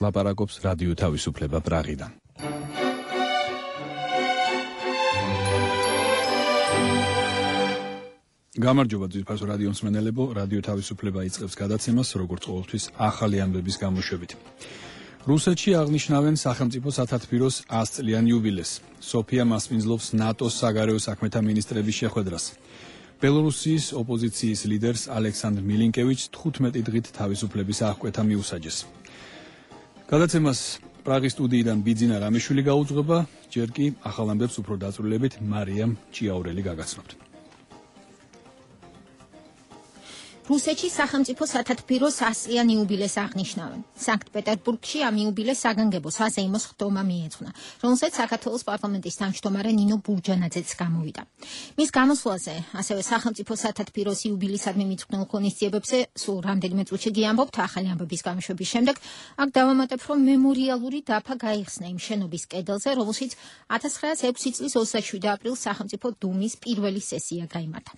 ლაპარაკობს რადიო თავისუფლება პრაღიდან. გამარჯობა ძვირფასო რადიო მსმენელებო, რადიო თავისუფლება იწყებს გადაცემას, როგორც ყოველთვის ახალი ამბების გამოშვებით. რუსეთში აღნიშნავენ სახელმწიფო სათათბიროს 100 წლიან იუბილეს. სოფია მასპინძლობს ნატოს საგარეო საქმეთა მინისტრების შეხვედრას. ბელორუსიის ოპოზიციის ლიდერს ალექსანდრ მილინკევიჩს 15 დღით თავისუფლების აღკვეთა მიუსაჯეს. გადაცემას პრაღის სტუდიიდან ბიძინა რამიშვილი გაუძღვება, ჯერ კი ახალ ამბებს უფრო დაწვრილებით მარიამ ჭიაურელი გაგაცნობთ. რუსეთში სახელმწიფო სათათბიროს 100-იან იუბილეს აღნიშნავენ. სანქტ-პეტერბურგში ამ იუბილეს საგანგებო საზეიმოს ხდომა მიეძღვნა, რომელსაც საქართველოს პარლამენტის თავმჯდომარე ნინო ბურჯანაძეც გამოვიდა. მის გამოსვლაზე, ასევე სახელმწიფო სათათბიროს იუბილისადმი მიძღვნილ ღონისძიებებზე სულ რამდენიმე წუთში გიამბობთ ახალი ამბების გამოშვების შემდეგ. აქ დავამატებ, რომ მემორიალური დაფა გაიხსნა იმ შენობის კედელზე, რომელშიც 1906 წლის 27 აპრილს სახელმწიფო დუმის პირველი სესია გაიმართა.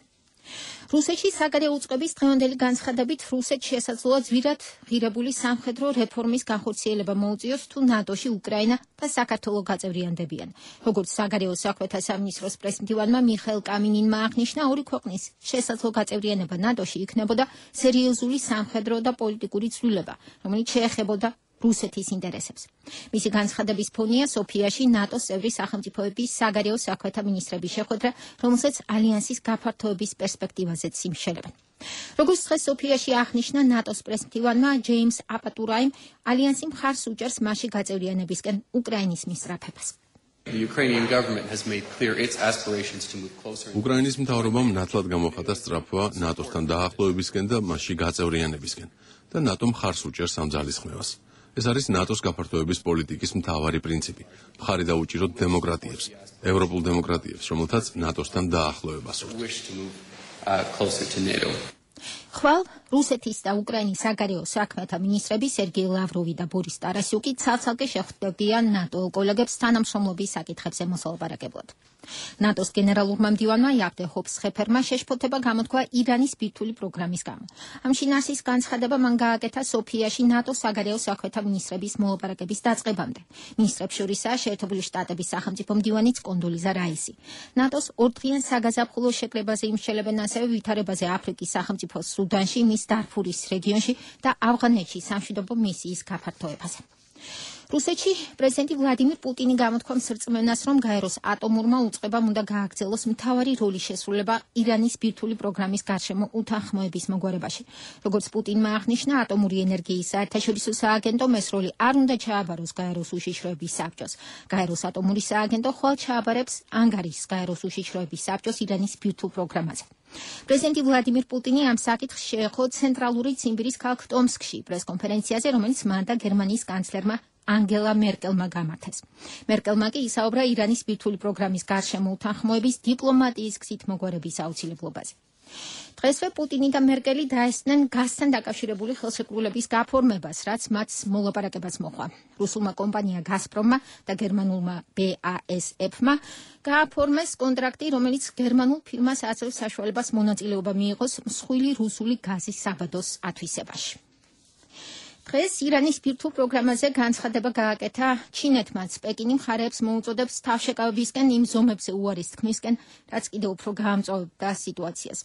რუსეთში საგარეო უწყების დღევანდელი განცხადებით რუსეთს შესაძლოა ძვირად ღირებული სამხედრო რეფორმის განხორციელება მოუწიოს თუ ნატოში უკრაინა და საქართველო გაწევრიანდებიან. როგორც საგარეო საქმეთა სამინისტროს პრესმდივანმა მიხაილ კამინინმა აღნიშნა, ორი ქვეყნის შესაძლო გაწევრიანება ნატოში იქნებოდა სერიოზული სამხედრო და პოლიტიკური ცვლილება, რომელიც შეეხებოდა რუსეთის ინტერესებს. მისი განცხადების ფონია სოფიაში ნატოს წევრი სახელმწიფოების საგარეო საქმეთა მინისტრების შეხვედრა, რომელსაც ალიანსის გაფართოების პერსპექტივაზეც იმშელებენ. როგორც დღეს სოფიაში აღნიშნა ნატოს პრესმდივანმა ჯეიმს აპატურაიმ, ალიანსი მხარს უჭერს მასში გაწევრიანებისკენ უკრაინის მისწრაფებას. უკრაინის მთავრობამ ნათლად გამოხატა სწრაფვა ნატოსთან დაახლოებისკენ და მასში გაწევრიანებისკენ და ნატომ მხარს უჭერს ამ ძალისხმევას. ეს არის ნატოს გაფართოების პოლიტიკის მთავარი პრინციპი. მხარი დაუჭიროთ დემოკრატიებს, ევროპულ დემოკრატიებს, რომელთაც ნატოსთან დაახლოება სურთ. ხვალ რუსეთის და უკრაინის საგარეო საქმეთა მინისტრები სერგეი ლავროვი და ბორის ტარასიუკი ცალ-ცალკე შეხვდებიან ნატო კოლეგებს თანამშრომლობის საკითხებზე მოსალაპარაკებლად. ნატოს გენერალურმა მდივანმა იავდე ჰოფსხეფერმა შეშფოთება გამოთქვა ირანის ბირთვული პროგრამის გამო. ამ შინაარსის განცხადება მან გააკეთა სოფიაში ნატოს საგარეო საქმეთა მინისტრების მოლაპარაკების დაწყებამდე. მინისტრებს შორისაა შეერთებული შტატების სახელმწიფო მდივანიც კონდოლიზა რაისი. ნატოს ორდღიან საგაზაფხულო შეკრებაზე იმსჯელებენ ასევე ვითარებაზე აფრიკის სახელმწიფო სუდანში, მის დარფურის რეგიონში და ავღანეთში სამშვიდობო მისიის გაფართოებაზე. რუსეთში პრეზიდენტი ვლადიმირ პუტინი გამოთქვა მსრწმენას, რომ გაეროს ატომურმა უწყებამ უნდა გააგრძელოს მთავარი როლი შესრულება ირანის ბირთვული პროგრამის გარშემო უთანხმოების მოგვარებაში. როგორც პუტინმა აღნიშნა, ატომური ენერგიის საერთაშორისო სააგენტომ ეს როლი არ უნდა ჩააბაროს გაეროს უშიშროების საბჭოს. გაეროს ატომური სააგენტო ხვალ ჩააბარებს ანგარის გაეროს უშიშროების საბჭოს ირანის ბირთვულ პროგრამაზე. პრეზიდენტი ვლადიმირ პუტინი ამ საკითხს შეეხო ცენტრალური ციმბირის ქალაქ ტომსკში პრესკონფერენციაზე, რომელიც მან და გერმანიის კანცლერმა ანგელა მერკელმა გამართეს. მერკელმა კი ისაუბრა ირანის ბირთვული პროგრამის გარშემო უთანხმოების დიპლომატიის გზით მოგვარების აუცილებლობაზე. დღესვე პუტინი და მერკელი დაესწნენ გაზთან დაკავშირებული ხელშეკრულების გაფორმებას, რაც მათ მოლაპარაკებას მოჰყვა. რუსულმა კომპანია გაზპრომმა და გერმანულმა BASF-მა გააფორმეს კონტრაქტი, რომელიც გერმანულ ფირმას აძლევს საშუალებას მონაწილეობა მიიღოს მსხვილი რუსული გაზის საბადოს ათვისებაში. დღეს ირანის ბირთვულ პროგრამაზე განცხადება გააკეთა ჩინეთმაც. პეკინი მხარეებს მოუწოდებს თავშეკავებისკენ იმ ზომებზე უარის თქმისკენ, რაც კიდევ უფრო გაამწვავებდა სიტუაციას.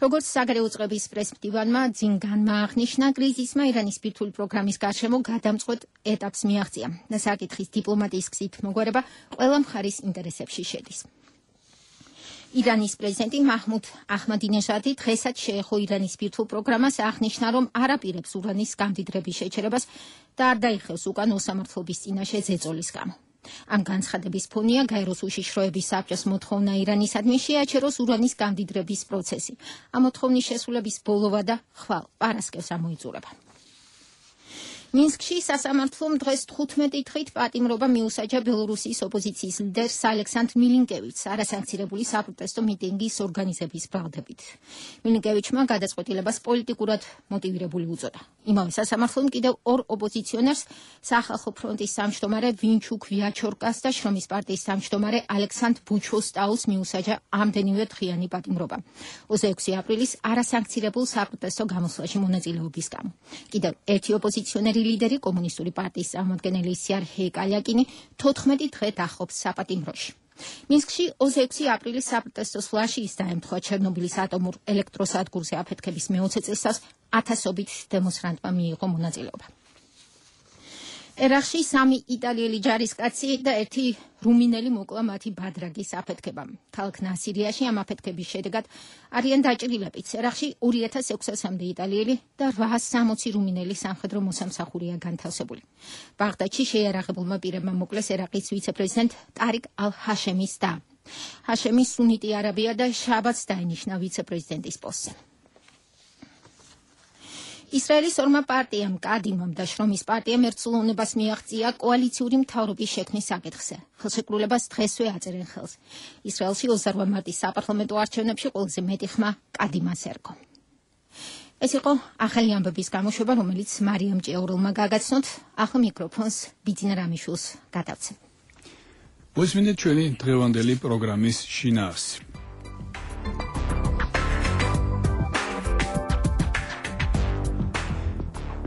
როგორც საგარეო უწყების პრესმდივანმა ძინგანმა აღნიშნა, კრიზისმა ირანის ბირთვული პროგრამის გარშემო გადამწყვეტ ეტაპს მიაღწია და საკითხის დიპლომატიის გზით მოგვარება ყველა მხარის ინტერესებში შედის. ირანის პრეზიდენტი მაჰმუდ აჰმადინეჟადი დღესაც შეეხო ირანის ბირთვულ პროგრამას, აღნიშნა, რომ არ აპირებს ურანის გამდიდრების შეჩერებას და არ დაიხევს უკან უსამართლობის წინაშე ზეწოლის გამო. ამ განცხადების ფონია გაეროს უშიშროების საბჭოს მოთხოვნა ირანისადმი შეაჩეროს ურანის გამდიდრების პროცესი. ამ მოთხოვნის შესრულების ბოლოვა და ხვალ პარასკევს ამოიწურება. მინსკში სასამართლომ დღეს 15 დღით პატიმრობა მიუსაჯა ბელორუსიის ოპოზიციის ლიდერს ალექსანდრ მილინკევიჩს არასანქცირებული საპროტესტო მიტინგის ორგანიზების ბრალდებით. მილინკევიჩმა გადაწყვეტილებას პოლიტიკურად მოტივირებული უწოდა. იმავე სასამართლომ კიდევ ორ ოპოზიციონერს, სახალხო ფრონტის თავმჯდომარე ვინჩუკ ვიაჩორკას და შრომის პარტიის თავმჯდომარე ალექსანდრ ბუჩოსტაუს მიუსაჯა ამდენივე დღიანი პატიმრობა. 26 აპრილის არასანქცირებულ საპროტესტო გამოსვლაში მონაწილეობის გამო. კიდევ ერთი ოპოზიციონერი ლიდერი კომუნისტური პარტიის წარმომადგენელი სერგეი კალიაკინი 14 დღე დახობს საპატიმროში. მინსკში 26 აპრილის საპროტესტო სვლაში ის დაემთხვა ჩერნობილის ატომურ ელექტროსადგურზე აფეთქების მე-20 წელს ათასობით დემონსტრანტმა მიიღო მონაწილეობა. ერაყში 3 იტალიელი ჯარისკაცი და 1 რუმინელი მოკლა მათი ბადრაგის აფეთქებამ. ქალაქ ნასირიაში ამ აფეთქების შედეგად არიან დაჭრილებიც. ერაყში 2600-მდე იტალიელი და 860 რუმინელი სამხედრო მოსამსახურეა განთავსებული. ბაღდადში შეიარაღებულმა პირებმა მოკლეს ერაყის ვიცე-პრეზიდენტ ტარიკ ალ-ჰაშემის და. ჰაშემი სუნიტი არაბია და შაბათს დაინიშნა ვიცე-პრეზიდენტის პოსტზე. ისრაელის ორმა პარტიამ კადიმამ და შრომის პარტიამ ერთსულოვნებას მიაღწია კოალიციური მთავრობის შექმნის საკითხზე. ხელშეკრულებას დღესვე აწერენ ხელს. ისრაელში 28 მარტის საპარლამენტო არჩევნებში ყველაზე მეტი ხმა კადიმას ერგო. ეს იყო ახალი ამბების გამოშვება, რომელიც მარიამ ჭეურულმა გაგაცნოთ. ახლა მიკროფონს ბიძინა რამიშვილს გადავცემ. მოსმინეთ ჩვენი დღევანდელი პროგრამის შინაარსი.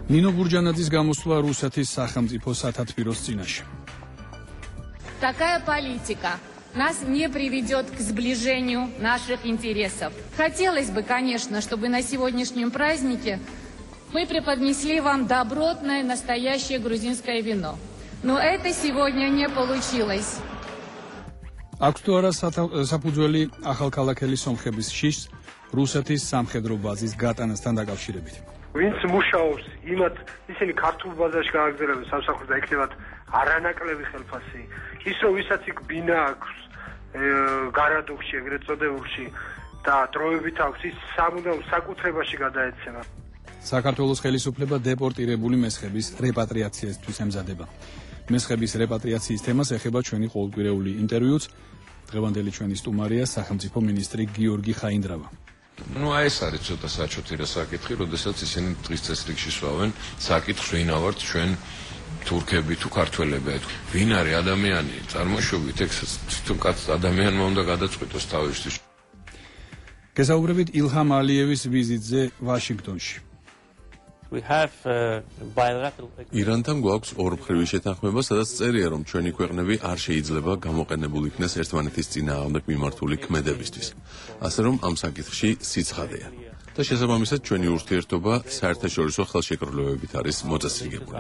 Нino Бурджанадзის გამოსვლა რუსეთის სახელმწიფო სათათბიროს წინაშე. Такая политика нас не приведет к сближению наших интересов. Хотелось бы, конечно, чтобы на сегодняшнем празднике мы преподнесли вам добротное, настоящее грузинское вино. Но это сегодня не получилось. აქვს თუ არა საფუძველი ახალქალაქელი სომხების შიშს რუსეთის სამხედრო ბაზის გატანასთან დაკავშირებით. ვინც მუშაობს, იმათ ისინი ქართულ ბაზარში გააგზავნებენ სამსახურს და იქნებათ არანაკლები ხელფასი. ის რომ ვისაც იქ ბინა აქვს გარადოქში, ეგრეთ წოდებულში და დროებით აქვს, ის სამუდამ საკუთრებაში გადაეცემა. საქართველოს ხელისუფლება დეპორტირებული მესხების რეპატრიაციისთვის ემზადება. მესხების რეპატრიაციის თემას ეხება ჩვენი ყოველკვირეული ინტერვიუც. დღევანდელი ჩვენი სტუმარია სახელმწიფო მინისტრი გიორგი ხაინდრავა. Ну, ეს არის ცოტა საჩოთი რა საკითხი, როდესაც ისინი დღის წესრიგში სვავენ საკითხს, ვინ ავართ ჩვენ თურქები თუ ქართველები. ვინ არის ადამიანი, წარმოშობით, ეგ თვითონ კაც ადამიანმა უნდა გადაწყვიტოს თავისთვის. გესაუბრებით ილჰამ ალიევის ვიზიტზე ვაშინგტონში. ირანთან გვაქვს ორმხრივი შეთანხმება, სადაც წერია, რომ ჩვენი ქვეყნები არ შეიძლება გამოყენებული იქნეს ერთმანეთის წინააღმდეგ მიმართული ქმედებისთვის. ასე რომ ამ საკითხში სიცხადეა. და შესაბამისად ჩვენი ურთიერთობა საერთაშორისო ხელშეკრულებებით არის მოწესრიგებული.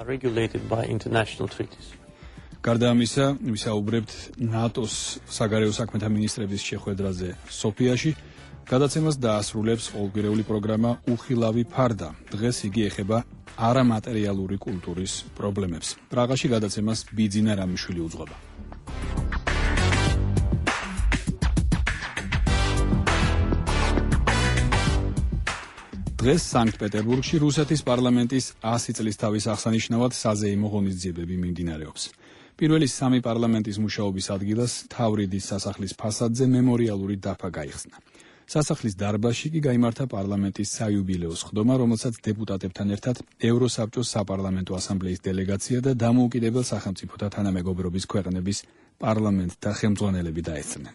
გარდა ამისა, ვისაუბრებთ ნატოს საგარეო საქმეთა მინისტრების შეხვედრაზე სოფიაში. გადაცემას დაასრულებს ყოველკვირეული პროგრამა უხილავი ფარდა. დღეს იგი ეხება არამატერიალური კულტურის პრობლემებს. პრაღაში გადაცემას ბიძინა რამიშვილი უძღვება. დღეს სანქტ-პეტერბურგში რუსეთის პარლამენტის 100 წლის თავის აღსანიშნავად საზეიმო ღონისძიებები მიმდინარეობს. პირველი 3 პარლამენტის მუშაობის ადგილას თავრიდის სასახლის ფასადზე მემორიალური დაფა გაიხსნა. სასახლის დარბაზში კი გაიმართა პარლამენტის საიუბილეო სხდომა, რომელსაც დეპუტატებთან ერთად ევროსაბჭოს საპარლამენტო ასამბლეის დელეგაცია და დამოუკიდებელ სახელმწიფოთა თანამეგობრობის ქვეყნების პარლამენტთა ხელმძღვანელები დაესწრნენ.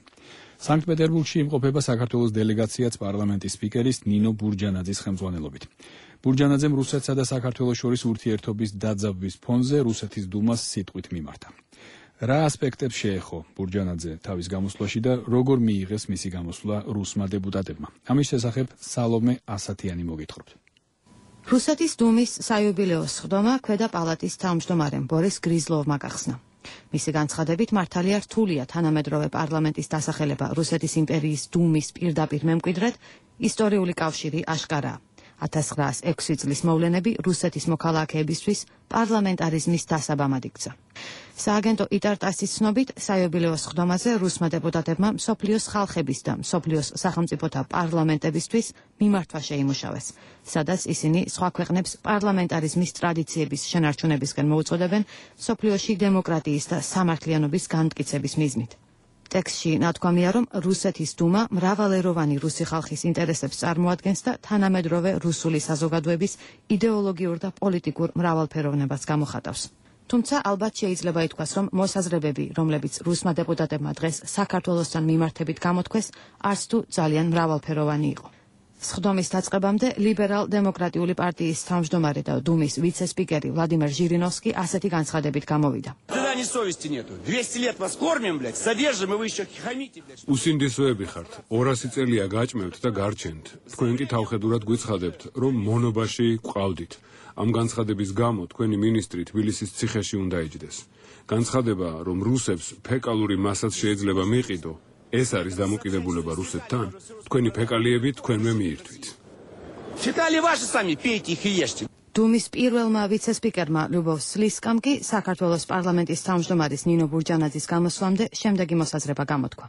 სანქტ-პეტერბურგში იმყოფება საქართველოს დელეგაციაც პარლამენტის სპიკერის ნინო ბურჯანაძის ხელმძღვანელობით. ბურჯანაძემ რუსეთსა და საქართველოს შორის ურთიერთობის დაძაბვის ფონზე რუსეთის დუმას სიტყვით მიმართა. რა ასპექტებს შეეხო ბურჯანაძე თავის გამოსვლაში და როგორ მიიღეს მისი გამოსვლა რუსმა დეპუტატებმა? ამის შესახებ სალომე ასათიანი მოგითხრობთ. რუსეთის დუმის საიუბილეო სხდომა ქვედა პალატის თავმჯდომარემ ბორის გრიზლოვმა გახსნა. მისი განცხადებით მართალია რთულია თანამედროვე პარლამენტის დასახელება რუსეთის იმპერიის დუმის პირდაპირ მემკვიდრედ, ისტორიული კავშირი აშკარაა. 1906 წლის მოვლენები რუსეთის მოქალაქეებისთვის პარლამენტარიზმის დასაბამად იქცა. სააგენტო იტარტასის ცნობით, საიუბილეო სხდომაზე რუსმა დეპუტატებმა მსოფლიოს ხალხების და მსოფლიოს სახელმწიფოთა პარლამენტებისთვის მიმართვა შეიმუშავეს, სადაც ისინი სხვა ქვეყნებს პარლამენტარიზმის ტრადიციების შენარჩუნებისკენ მოუწოდებენ მსოფლიოში დემოკრატიის და სამართლიანობის განმტკიცების მიზნით. ტექსტში ნათქვამია, რომ რუსეთის დუმა მრავალეროვანი რუსი ხალხის ინტერესებს წარმოადგენს და თანამედროვე რუსული საზოგადოების იდეოლოგიურ და პოლიტიკურ მრავალფეროვნებას გამოხატავს. თუმცა ალბათ შეიძლება ითქვას, რომ მოსაზრებები, რომლებიც რუსმა დეპუტატებმა დღეს საქართველოსთან მიმართებით გამოთქვეს, არც თუ ძალიან მრავალფეროვანი იყო. სხდომის დაწყებამდე ლიბერალ-დემოკრატიული პარტიის თავმჯდომარე და დუმის ვიცე-სპიკერი ვლადიმერ ჟირინოვსკი ასეთი განცხადებით გამოვიდა. უსინდისოები ხართ, 200 წელია გაჭმევთ და გარჩენთ. თქვენ კი თავხედურად გვიცხადებთ, რომ მონობაში გვყავდით. ამ განცხადების გამო თქვენი მინისტრი თბილისის ციხეში უნდა ეჯდეს. განცხადება, რომ რუსებს ფეკალური მასაც შეიძლება მიყიდო, ეს არის დამოკიდებულება რუსეთთან? თქვენი ფეკალიები თქვენმე მიირთვით. დუმის პირველმა ვიცე-სპიკერმა ლიუბოვ სლისკამ კი საქართველოს პარლამენტის თავმჯდომარის ნინო ბურჯანაძის გამოსვლამდე შემდეგი მოსაზრება გამოთქვა.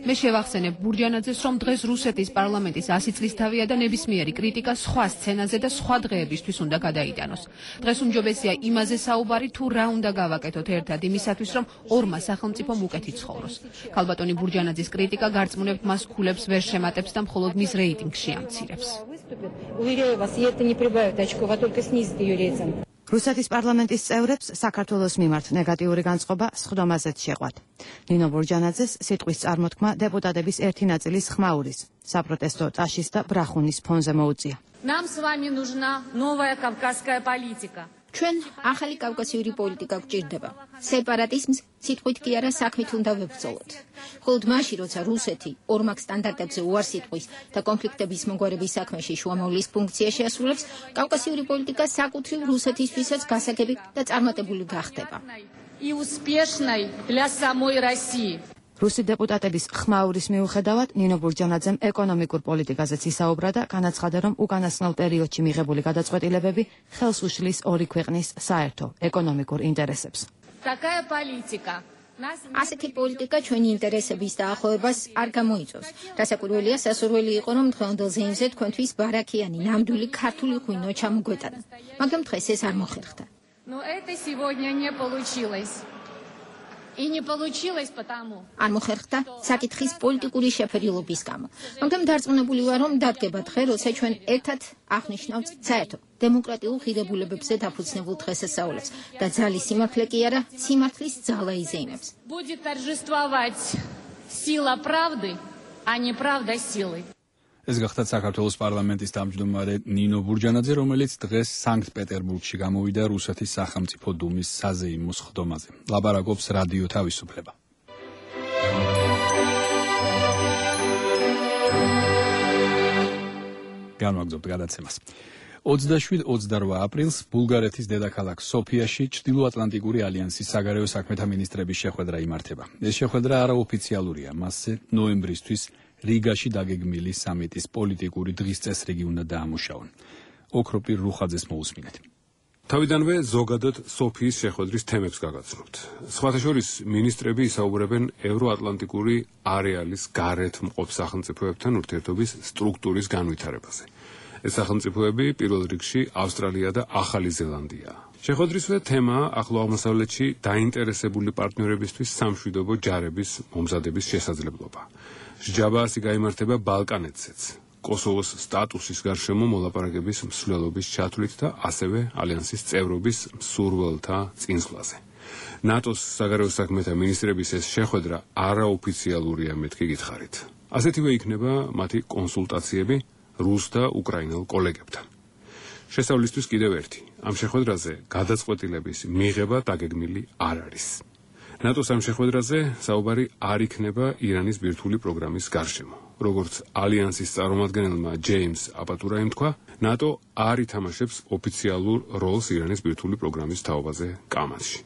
მე შევახსენებ ბურჯანაძეს, რომ დღეს რუსეთის პარლამენტის 100 წლისთავია და ნებისმიერი კრიტიკა სხვა სცენაზე და სხვა დღეებისთვის უნდა გადაიტანოს. დღეს უმჯობესია იმაზე საუბარი, თუ რა უნდა გავაკეთოთ ერთად იმისათვის, რომ ორმა სახელმწიფომ უკეთი ცხოვროს. ქალბატონი ბურჯანაძის კრიტიკა გარწმუნებთ მას ქულებს ვერ შემატებს და მხოლოდ მის რეიტინგში ამცირებს. რუსეთის პარლამენტის წევრებს საქართველოს მიმართ ნეგატიური განწყობა სხდომაზეც შეყვათ. ნინო ბურჯანაძეს სიტყვის წარმოთქმა დეპუტატების ერთი ნაწილის ხმაურის, საპროტესტო ტაშის და ბრახუნის ფონზე მოუწია. Нам с вами нужна новая кавказская политика. ჩვენ ახალი კავკასიური პოლიტიკა გვჭირდება. სეპარატიზმს სიტყვით კი არა საქმით უნდა ვებრძოლოთ. მხოლოდ მაშინ, როცა რუსეთი ორმაგ სტანდარტებზე უარს იტყვის და კონფლიქტების მოგვარების საქმეში შუამავლის ფუნქცია შეასრულებს, კავკასიური პოლიტიკა საკუთრივ რუსეთისთვისაც გასაგები და წარმატებული გახდება. И успешной для самой России. რუსი დეპუტატების ხმაურის მიუხედავად ნინო ბურჯანაძემ ეკონომიკურ პოლიტიკაზეც ისაუბრა და განაცხადა, რომ უკანასკნელ პერიოდში მიღებული გადაწყვეტილებები ხელს უშლის ორი ქვეყნის საერთო ეკონომიკურ ინტერესებს. Такая политика. ასეთი პოლიტიკა ჩვენი ინტერესების დაახლოებას არ გამოიწვევს. რასაკვირველია, სასურველი იყო, რომ დღევანდელ ზეიმზე თქვენთვის ბარაქიანი, ნამდვილი ქართული ღვინო ჩამოგვეტანა. მაგრამ დღეს ეს არ მოხერხდა. Но это сегодня не получилось. И не получилось потому. არ მოხერხდა საკითხის პოლიტიკური შეფერილობის გამო. მაგრამ დარწმუნებული ვარ, რომ დადგება დღე, როცა ჩვენ ერთად აღნიშნავთ საერთო დემოკრატიულ ღირებულებებზე დაფუძნებულ დღესასწაულებს და ძალის სიმართლე კი არა, სიმართლის ძალა იზეიმებს. Будет торжествовать сила правды, а не правда силы. ეს გახდა საქართველოს პარლამენტის თავმჯდომარე ნინო ბურჯანაძე, რომელიც დღეს სანქტ-პეტერბურგში გამოვიდა რუსეთის სახელმწიფო დუმის საზეიმო სხდომაზე. ლაპარაკობს რადიო თავისუფლება. განვაგრძობთ გადაცემას. 27-28 აპრილს ბულგარეთის დედაქალაქ სოფიაში ჩრდილოატლანტიკური ალიანსის საგარეო საქმეთა მინისტრების შეხვედრა იმართება. ეს შეხვედრა არაოფიციალურია, მასზე ნოემბრისთვის რიგაში დაგეგმილი სამიტის პოლიტიკური დღის წესრიგი უნდა დაამუშავონ. ოქროპირ რუხაძეს მოусმინეთ. თავიდანვე ზოგადად სოფიის შეხვედრის თემებს გაგაცნობთ. სხვათა შორის მინისტრები ისაუბრებენ ევროატლანტიკური არეალის გარეთ მყოფ სახელმწიფოებთან ურთიერთობის სტრუქტურის განვითარებაზე. ეს სახელმწიფოები პირველ რიგში ავსტრალია და ახალი ზელანდია. შეხვედრისვე თემაა ახლო აღმოსავლეთში დაინტერესებული პარტნიორებისთვის სამშვიდობო ჯარების მომზადების შესაძლებლობა. სჯაბა ასე გაიმართება ბალკანეთზეც. კოსოვოს სტატუსის გარშემო მოლაპარაკების მსვლელობის ჩათვლით და ასევე ალიანსის წევრობის მსურველთა წინსვლაზე. ნატოს საგარეო საქმეთა მინისტრების ეს შეხვედრა არაოფიციალურია, მეთქი გითხარით. ასეთივე იქნება მათი კონსულტაციები რუს და უკრაინელ კოლეგებთან. შესავლისთვის კიდევ ერთი. ამ შეხვედრაზე გადაწყვეტილების მიღება დაგეგმილი არ არის. ნატოს ამ შეხვედრაზე საუბარი არ იქნება ირანის ბირთვული პროგრამის გარშემო. როგორც ალიანსის წარმომადგენელმა ჯეიმს აპატურაიმ თქვა, ნატო არ ითამაშებს ოფიციალურ როლს ირანის ბირთვული პროგრამის თაობაზე კამათში.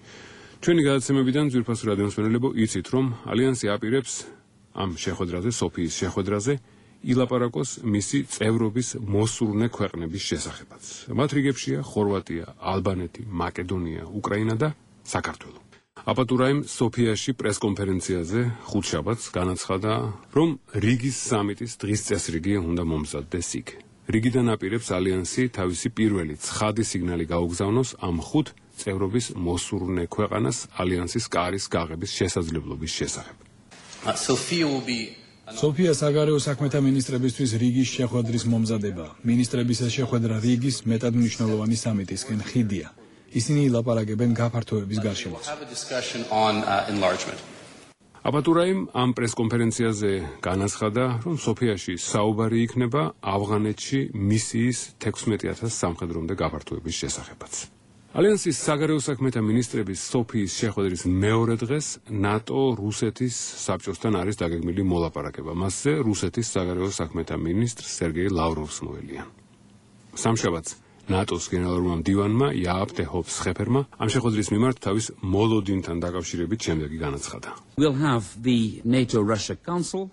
ჩვენი გადაცემებიდან ძვირფასო რადიო მსმენელებო იცით, რომ ალიანსი აპირებს ამ შეხვედრაზე, სოფიის შეხვედრაზე ილაპარაკოს მისი წევრობის მოსურნე ქვეყნების შესახებაც. მათ რიგებშია ხორვატია, ალბანეთი, მაკედონია, უკრაინა და საქართველო. აპატურაიმ სოფიაში პრესკონფერენციაზე ხუთშაბათს განაცხადა, რომ რიგის სამიტის დღის წესრიგი უნდა მომზადდეს იქ. რიგიდან აპირებს ალიანსი თავისი პირველი ცხადი სიგნალი გაუგზავნოს ამ ხუთ წევრობის მოსურნე ქვეყანას ალიანსის კარის გაღების შესაძლებლობის შესახებ. სოფია საგარეო საქმეთა მინისტრებისთვის რიგის შეხვედრის მომზადება. მინისტრების ეს შეხვედრა რიგის მეტად მნიშვნელოვანი სამიტისკენ ხიდია. ისინი ილაპარაკებენ გაფართოების გარშემოც. აბატურაიმ ამ პრესკონფერენციაზე განაცხადა, რომ სოფიაში საუბარი იქნება ავღანეთში მისიის 16,000 სამხედრომდე გაფართოების შესახებაც. ალიანსის საგარეო საქმეთა მინისტრების სოფიის შეხვედრის მეორე დღეს ნატო რუსეთის საბჭოსთან არის დაგეგმილი მოლაპარაკება. მასზე რუსეთის საგარეო საქმეთა მინისტრ სერგეი ლავროვს მოელიან. სამშაბათს ნატოს გენერალურმა მდივანმა იააპ დე-ჰოფ-სხეფერმა ამ შეხვედრის მიმართ თავის მოლოდინთან დაკავშირებით შემდეგი განაცხადა.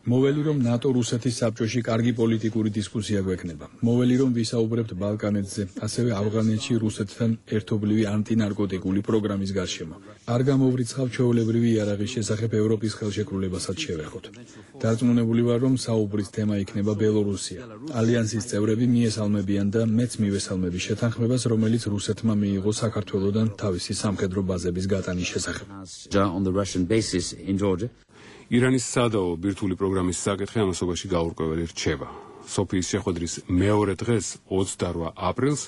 მოველი რომ ნატო-რუსეთის საბჭოში კარგი პოლიტიკური დისკუსია გვექნება. მოველი რომ ვისაუბრებთ ბალკანეთზე, ასევე ავღანეთში რუსეთთან ერთობლივი ანტინარკოტიკული პროგრამის გარშემო. არ გამოვრიცხავ ჩვეულებრივი იარაღის შესახებ ევროპის ხელშეკრულებასაც შევეხოთ. დარწმუნებული ვარ, რომ საუბრის თემა იქნება ბელორუსია. ალიანსის წევრები მიესალმებიან და მეც მივესალმები შეთანხმებას, რომელიც რუსეთმა მიიღო საქართველოსთან თავისი სამხედრო ბაზების გატანის შესახებ. ირანის სადაო ბირთვული პროგრამის საკითხი ამასობაში გაურკვეველი რჩება. სოფიის შეხვედრის მეორე დღეს 28 აპრილს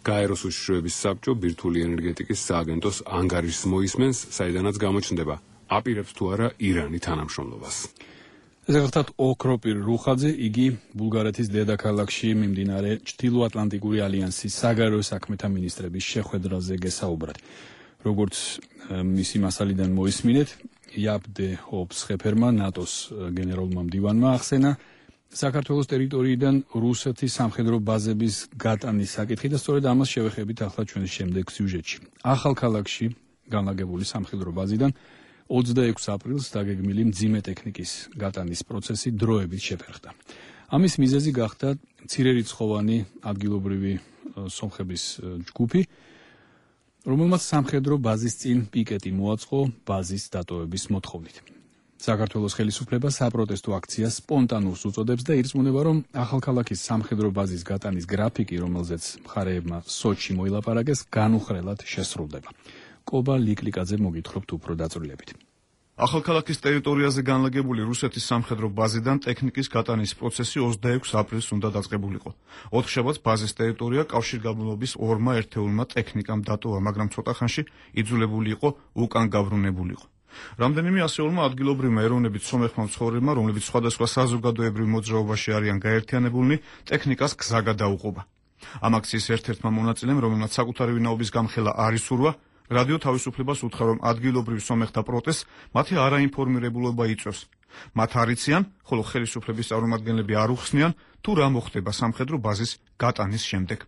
გაეროს უშიშროების საბჭო ბირთვული ენერგეტიკის სააგენტოს ანგარიშს მოისმენს, საიდანაც გამოჩნდება აპირებს თუ არა ირანი თანამშრომლობას. ესე გახლავთ ოქროპირ რუხაძე, იგი ბულგარეთის დედაქალაქში მიმდინარე ჩრდილოატლანტიკური ალიანსის საგარეო საქმეთა მინისტრების შეხვედრაზე გესაუბრათ. როგორც მისი მასალიდან მოისმინეთ, იააპ დე-ჰოფ-სხეფერმა ნატოს გენერალურმა მდივანმა ახსენა საქართველოს ტერიტორიიდან რუსეთის სამხედრო ბაზების გატანის საკითხი და სწორედ ამას შევეხებით ახლა ჩვენს შემდეგ სიუჟეტში. ახალქალაქში განლაგებული სამხედრო ბაზიდან 26 აპრილს დაგეგმილი მძიმე ტექნიკის გატანის პროცესი დროებით შეფერხდა. ამის მიზეზი გახდა მცირერიცხოვანი ადგილობრივი სომხების ჯგუფი, რომელმაც სამხედრო ბაზის წინ პიკეტი მოაწყო ბაზის დატოვების მოთხოვნით. საქართველოს ხელისუფლება საპროტესტო აქციას სპონტანურს უწოდებს და ირწმუნება, რომ ახალქალაქის სამხედრო ბაზის გატანის გრაფიკი, რომელზეც მხარეებმა სოჩში მოილაპარაკეს, განუხრელად შესრულდება. კობა ლიკლიკაძე მოგითხრობთ უფრო დაწვრილებით. ახალქალაქის ტერიტორიაზე განლაგებული რუსეთის სამხედრო ბაზიდან ტექნიკის გატანის პროცესი 26 აპრილს უნდა დაწყებულიყო. 4 შაბათს ბაზის ტერიტორია კავშირგაბმულობის ორმა ერთეულმა ტექნიკამ დატოვა, მაგრამ ცოტა ხანში იძულებული იყო უკან გაბრუნებულიყო. რამდენიმე ასეულმა ადგილობრივმა ეროვნებით სომეხმა მცხოვრებმა, რომლებიც სხვადასხვა საზოგადოებრივ მოძრაობაში არიან გაერთიანებულნი, ტექნიკას გზა გადაუყობა. ამ აქციის ერთ-ერთმა მონაწილემ, რომელმაც საკუთარი ვინაობის გამხელა არ ისურვა, რადიო თავისუფლებას უთხრა, რომ ადგილობრივ სომეხთა პროტესტს მათი არაინფორმირებულობა იწვევს. მათ არ იციან, ხოლო ხელისუფლების წარმომადგენლები არ უხსნიან, თუ რა მოხდება სამხედრო ბაზის გატანის შემდეგ.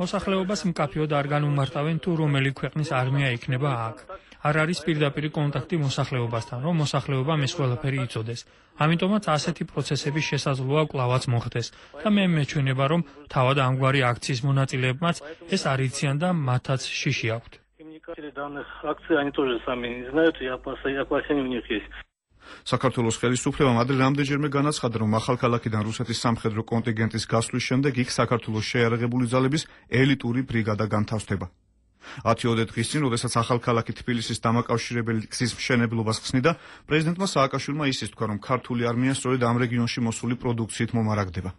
მოსახლეობას მკაფიოდ არ განუმარტავენ, თუ რომელი ქვეყნის არმია იქნება აქ. არ არის პირდაპირი კონტაქტი მოსახლეობასთან, რომ მოსახლეობამ ეს ყველაფერი იცოდეს. ამიტომაც ასეთი პროცესების შესაძლოა კვლავაც მოხდეს და მე მეჩვენება, რომ თავად ამგვარი აქციის მონაწილეებმაც ეს არ იციან და მათაც შიში აქვთ. საქართველოს ხელისუფლებამ ადრე რამდენჯერმე განაცხადა, რომ ახალქალაქიდან რუსეთის სამხედრო კონტინგენტის გასვლის შემდეგ იქ საქართველოს შეიარაღებული ძალების ელიტური ბრიგადა განთავსდება. 10 დღის წინ, როდესაც ახალქალაქი თბილისის დამაკავშირებელი გზის მშენებლობას ხსნიდა, პრეზიდენტმა სააკაშვილმა ისიც თქვა, რომ ქართული არმია სწორედ ამ რეგიონში მოსული პროდუქციით მომარაგდება.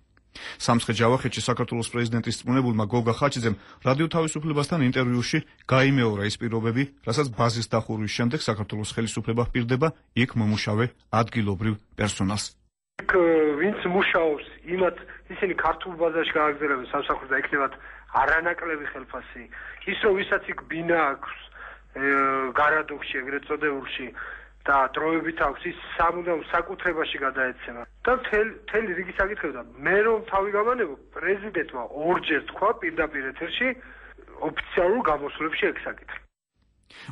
სამცხე-ჯავახეთში საქართველოს პრეზიდენტის წმუნებულმა გოგა ხაჩიძემ რადიო თავისუფლებასთან ინტერვიუში გაიმეორა ის პირობები, რასაც ბაზის დახურვის შემდეგ საქართველოს ხელისუფლება ჰპირდება იქ მომუშავე ადგილობრივ პერსონალს. იქ ვინც მუშაობს, იმათ ისინი ქართულ ბაზაში გააგზავნებენ სამსახურს და იქნებათ არანაკლები ხელფასი. ის რომ ვისაც იქ ბინა აქვს გარადოქში, ეგრეთ წოდებულში და დროებით აქვს, ის სამუდამ საკუთრებაში გადაეცემა. და მთელი რიგი საკითხები და მე რომ თავი გამანებო, პრეზიდენტმა ორჯერ თქვა პირდაპირ ეთერში ოფიციალურ გამოსვლებში ეგ საკითხი.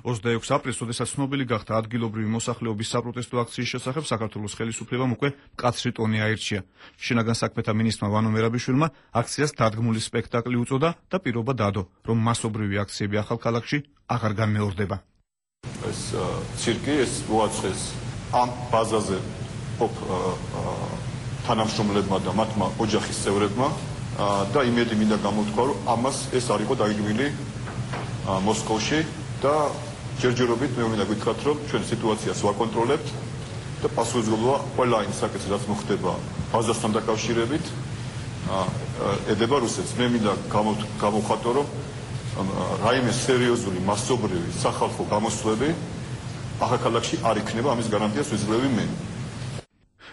26 აპრილს, როდესაც ცნობილი გახდა ადგილობრივი მოსახლეობის საპროტესტო აქციის შესახებ, საქართველოს ხელისუფლებამ უკვე მკაცრი ტონი აირჩია. შინაგან საქმეთა მინისტრმა ვანო მერაბიშვილმა აქციას დადგმული სპექტაკლი უწოდა და პირობა დადო, რომ მასობრივი აქციები ახალქალაქში აღარ განმეორდება. ეს ცირკი ეს მოაწყეს ამ ბაზაზე ყოფ თანამშრომლებმა და მათმა ოჯახის წევრებმა და იმედი მინდა გამოთქვა, რომ ამას ეს არ იყო დაგეგმილი მოსკოვში და ჯერჯერობით მე მინდა გითხრათ, რომ ჩვენ სიტუაციას ვაკონტროლებთ და პასუხისმგებლობა ყველა იმ საკითხს, რაც მოხდება ბაზასთან დაკავშირებით, ედება რუსეთს. მე მინდა გამოვხატო, რომ რაიმე სერიოზული მასობრივი სახალხო გამოსვლები ახალქალაქში არ იქნება, ამის გარანტიას ვიძლევი მე.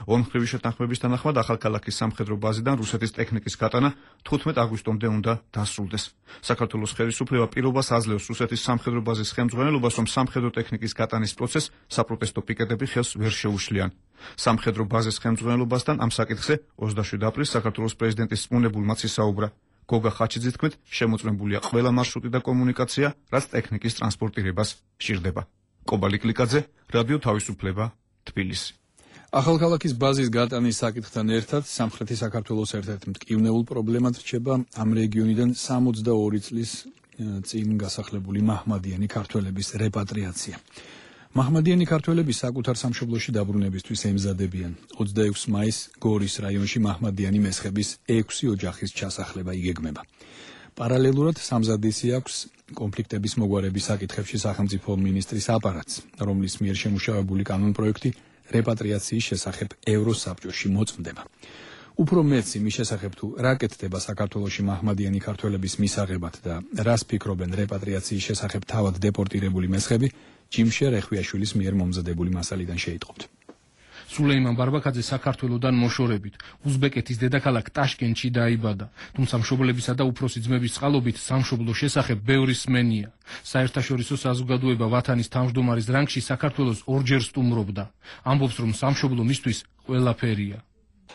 ორმხრივი შეთანხმების თანახმად ახალქალაქის სამხედრო ბაზიდან რუსეთის ტექნიკის გატანა 15 აგვისტომდე უნდა დასრულდეს. საქართველოს ხელისუფლება პირობას აძლევს რუსეთის სამხედრო ბაზის ხელმძღვანელობას, რომ სამხედრო ტექნიკის გატანის პროცესს საპროტესტო პიკეტები ხელს ვერ შეუშლიან. სამხედრო ბაზის ხელმძღვანელობასთან ამ საკითხზე 27 აპრილს საქართველოს პრეზიდენტის წმუნებულმაც ისაუბრა. გოგა ხაჩიძის თქმით, შემოწმებულია ყველა მარშრუტი და კომუნიკაცია, რაც ტექნიკის ტრანსპორტირებას სჭირდება. კობალი კლიკაძე, რადიო თავისუფლება, თბილისი. ახალქალაქის ბაზის გატანის საკითხთან ერთად სამხრეთი საქართველოს ერთ-ერთ მტკივნეულ პრობლემად რჩება ამ რეგიონიდან 62 წლის წინ გასახლებული მაჰმადიანი ქართველების რეპატრიაცია. მაჰმადიანი ქართველები საკუთარ სამშობლოში დაბრუნებისთვის ემზადებიან. 26 მაისს გორის რაიონში მაჰმადიანი მესხების 6 ოჯახის ჩასახლება იგეგმება. პარალელურად სამზადისი აქვს კონფლიქტების მოგვარების საკითხებში სახელმწიფო მინისტრის აპარატს, რომლის მიერ შემუშავებული კანონპროექტი რეპატრიაციის შესახებ ევროსაბჭოში მოწმდება. უფრო მეც იმის შესახებ თუ რა კეთდება საქართველოში მაჰმადიანი ქართველების მისაღებად და რას ფიქრობენ რეპატრიაციის შესახებ თავად დეპორტირებული მესხები, ჯიმშერ ეხვიაშვილის მიერ მომზადებული მასალიდან შეიტყობთ. სულეიმან ბარბაკაძე საქართველოსდან მოშორებით უზბეკეთის დედაქალაქ ტაშკენტში დაიბადა, თუმცა მშობლებისა და უფროსი ძმების წყალობით სამშობლოს შესახებ ბევრი სმენია. საერთაშორისო საზოგადოება ვათანის თავმჯდომარის რანგში საქართველოს ორჯერ სტუმრობდა. ამბობს, რომ სამშობლო მისთვის ყველაფერია.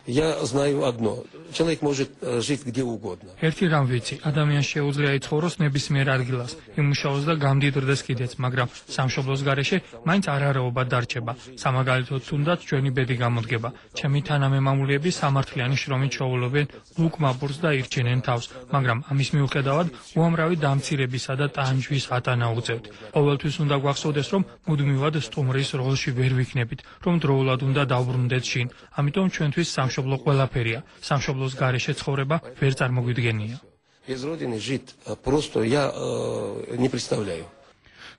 Я знаю одно. Человек может жить где угодно. ერთი რამ ვიცი, ადამიანს შეუძლია იცხოვროს ნებისმიერ ადგილას, იმუშაოს და გამდიდრდეს კიდეც, მაგრამ სამშობლოს გარეშე მაინც არარაობა დარჩება. სამაგალითოდ თუნდაც ჩვენი ბედი გამოდგება. ჩემი თანამემამულეები სამართლიანი შრომით შოულობენ ლუკმაბურს და ირჩენენ თავს, მაგრამ ამის მიუხედავად უამრავი დამცირებისა და ტანჯვის ატანა უწევთ. ყოველთვის უნდა გვახსოვდეს, რომ მუდმივად სტუმრის როლში ვერ ვიქნებით, რომ დროულად უნდა დავბრუნდეთ შინ. ამიტომ ჩვენთვის სამშობლო ყველაფერია. სამშობლოს გარეშე ცხოვრება ვერ წარმოგვიდგენია. Без родины жить просто я не представляю.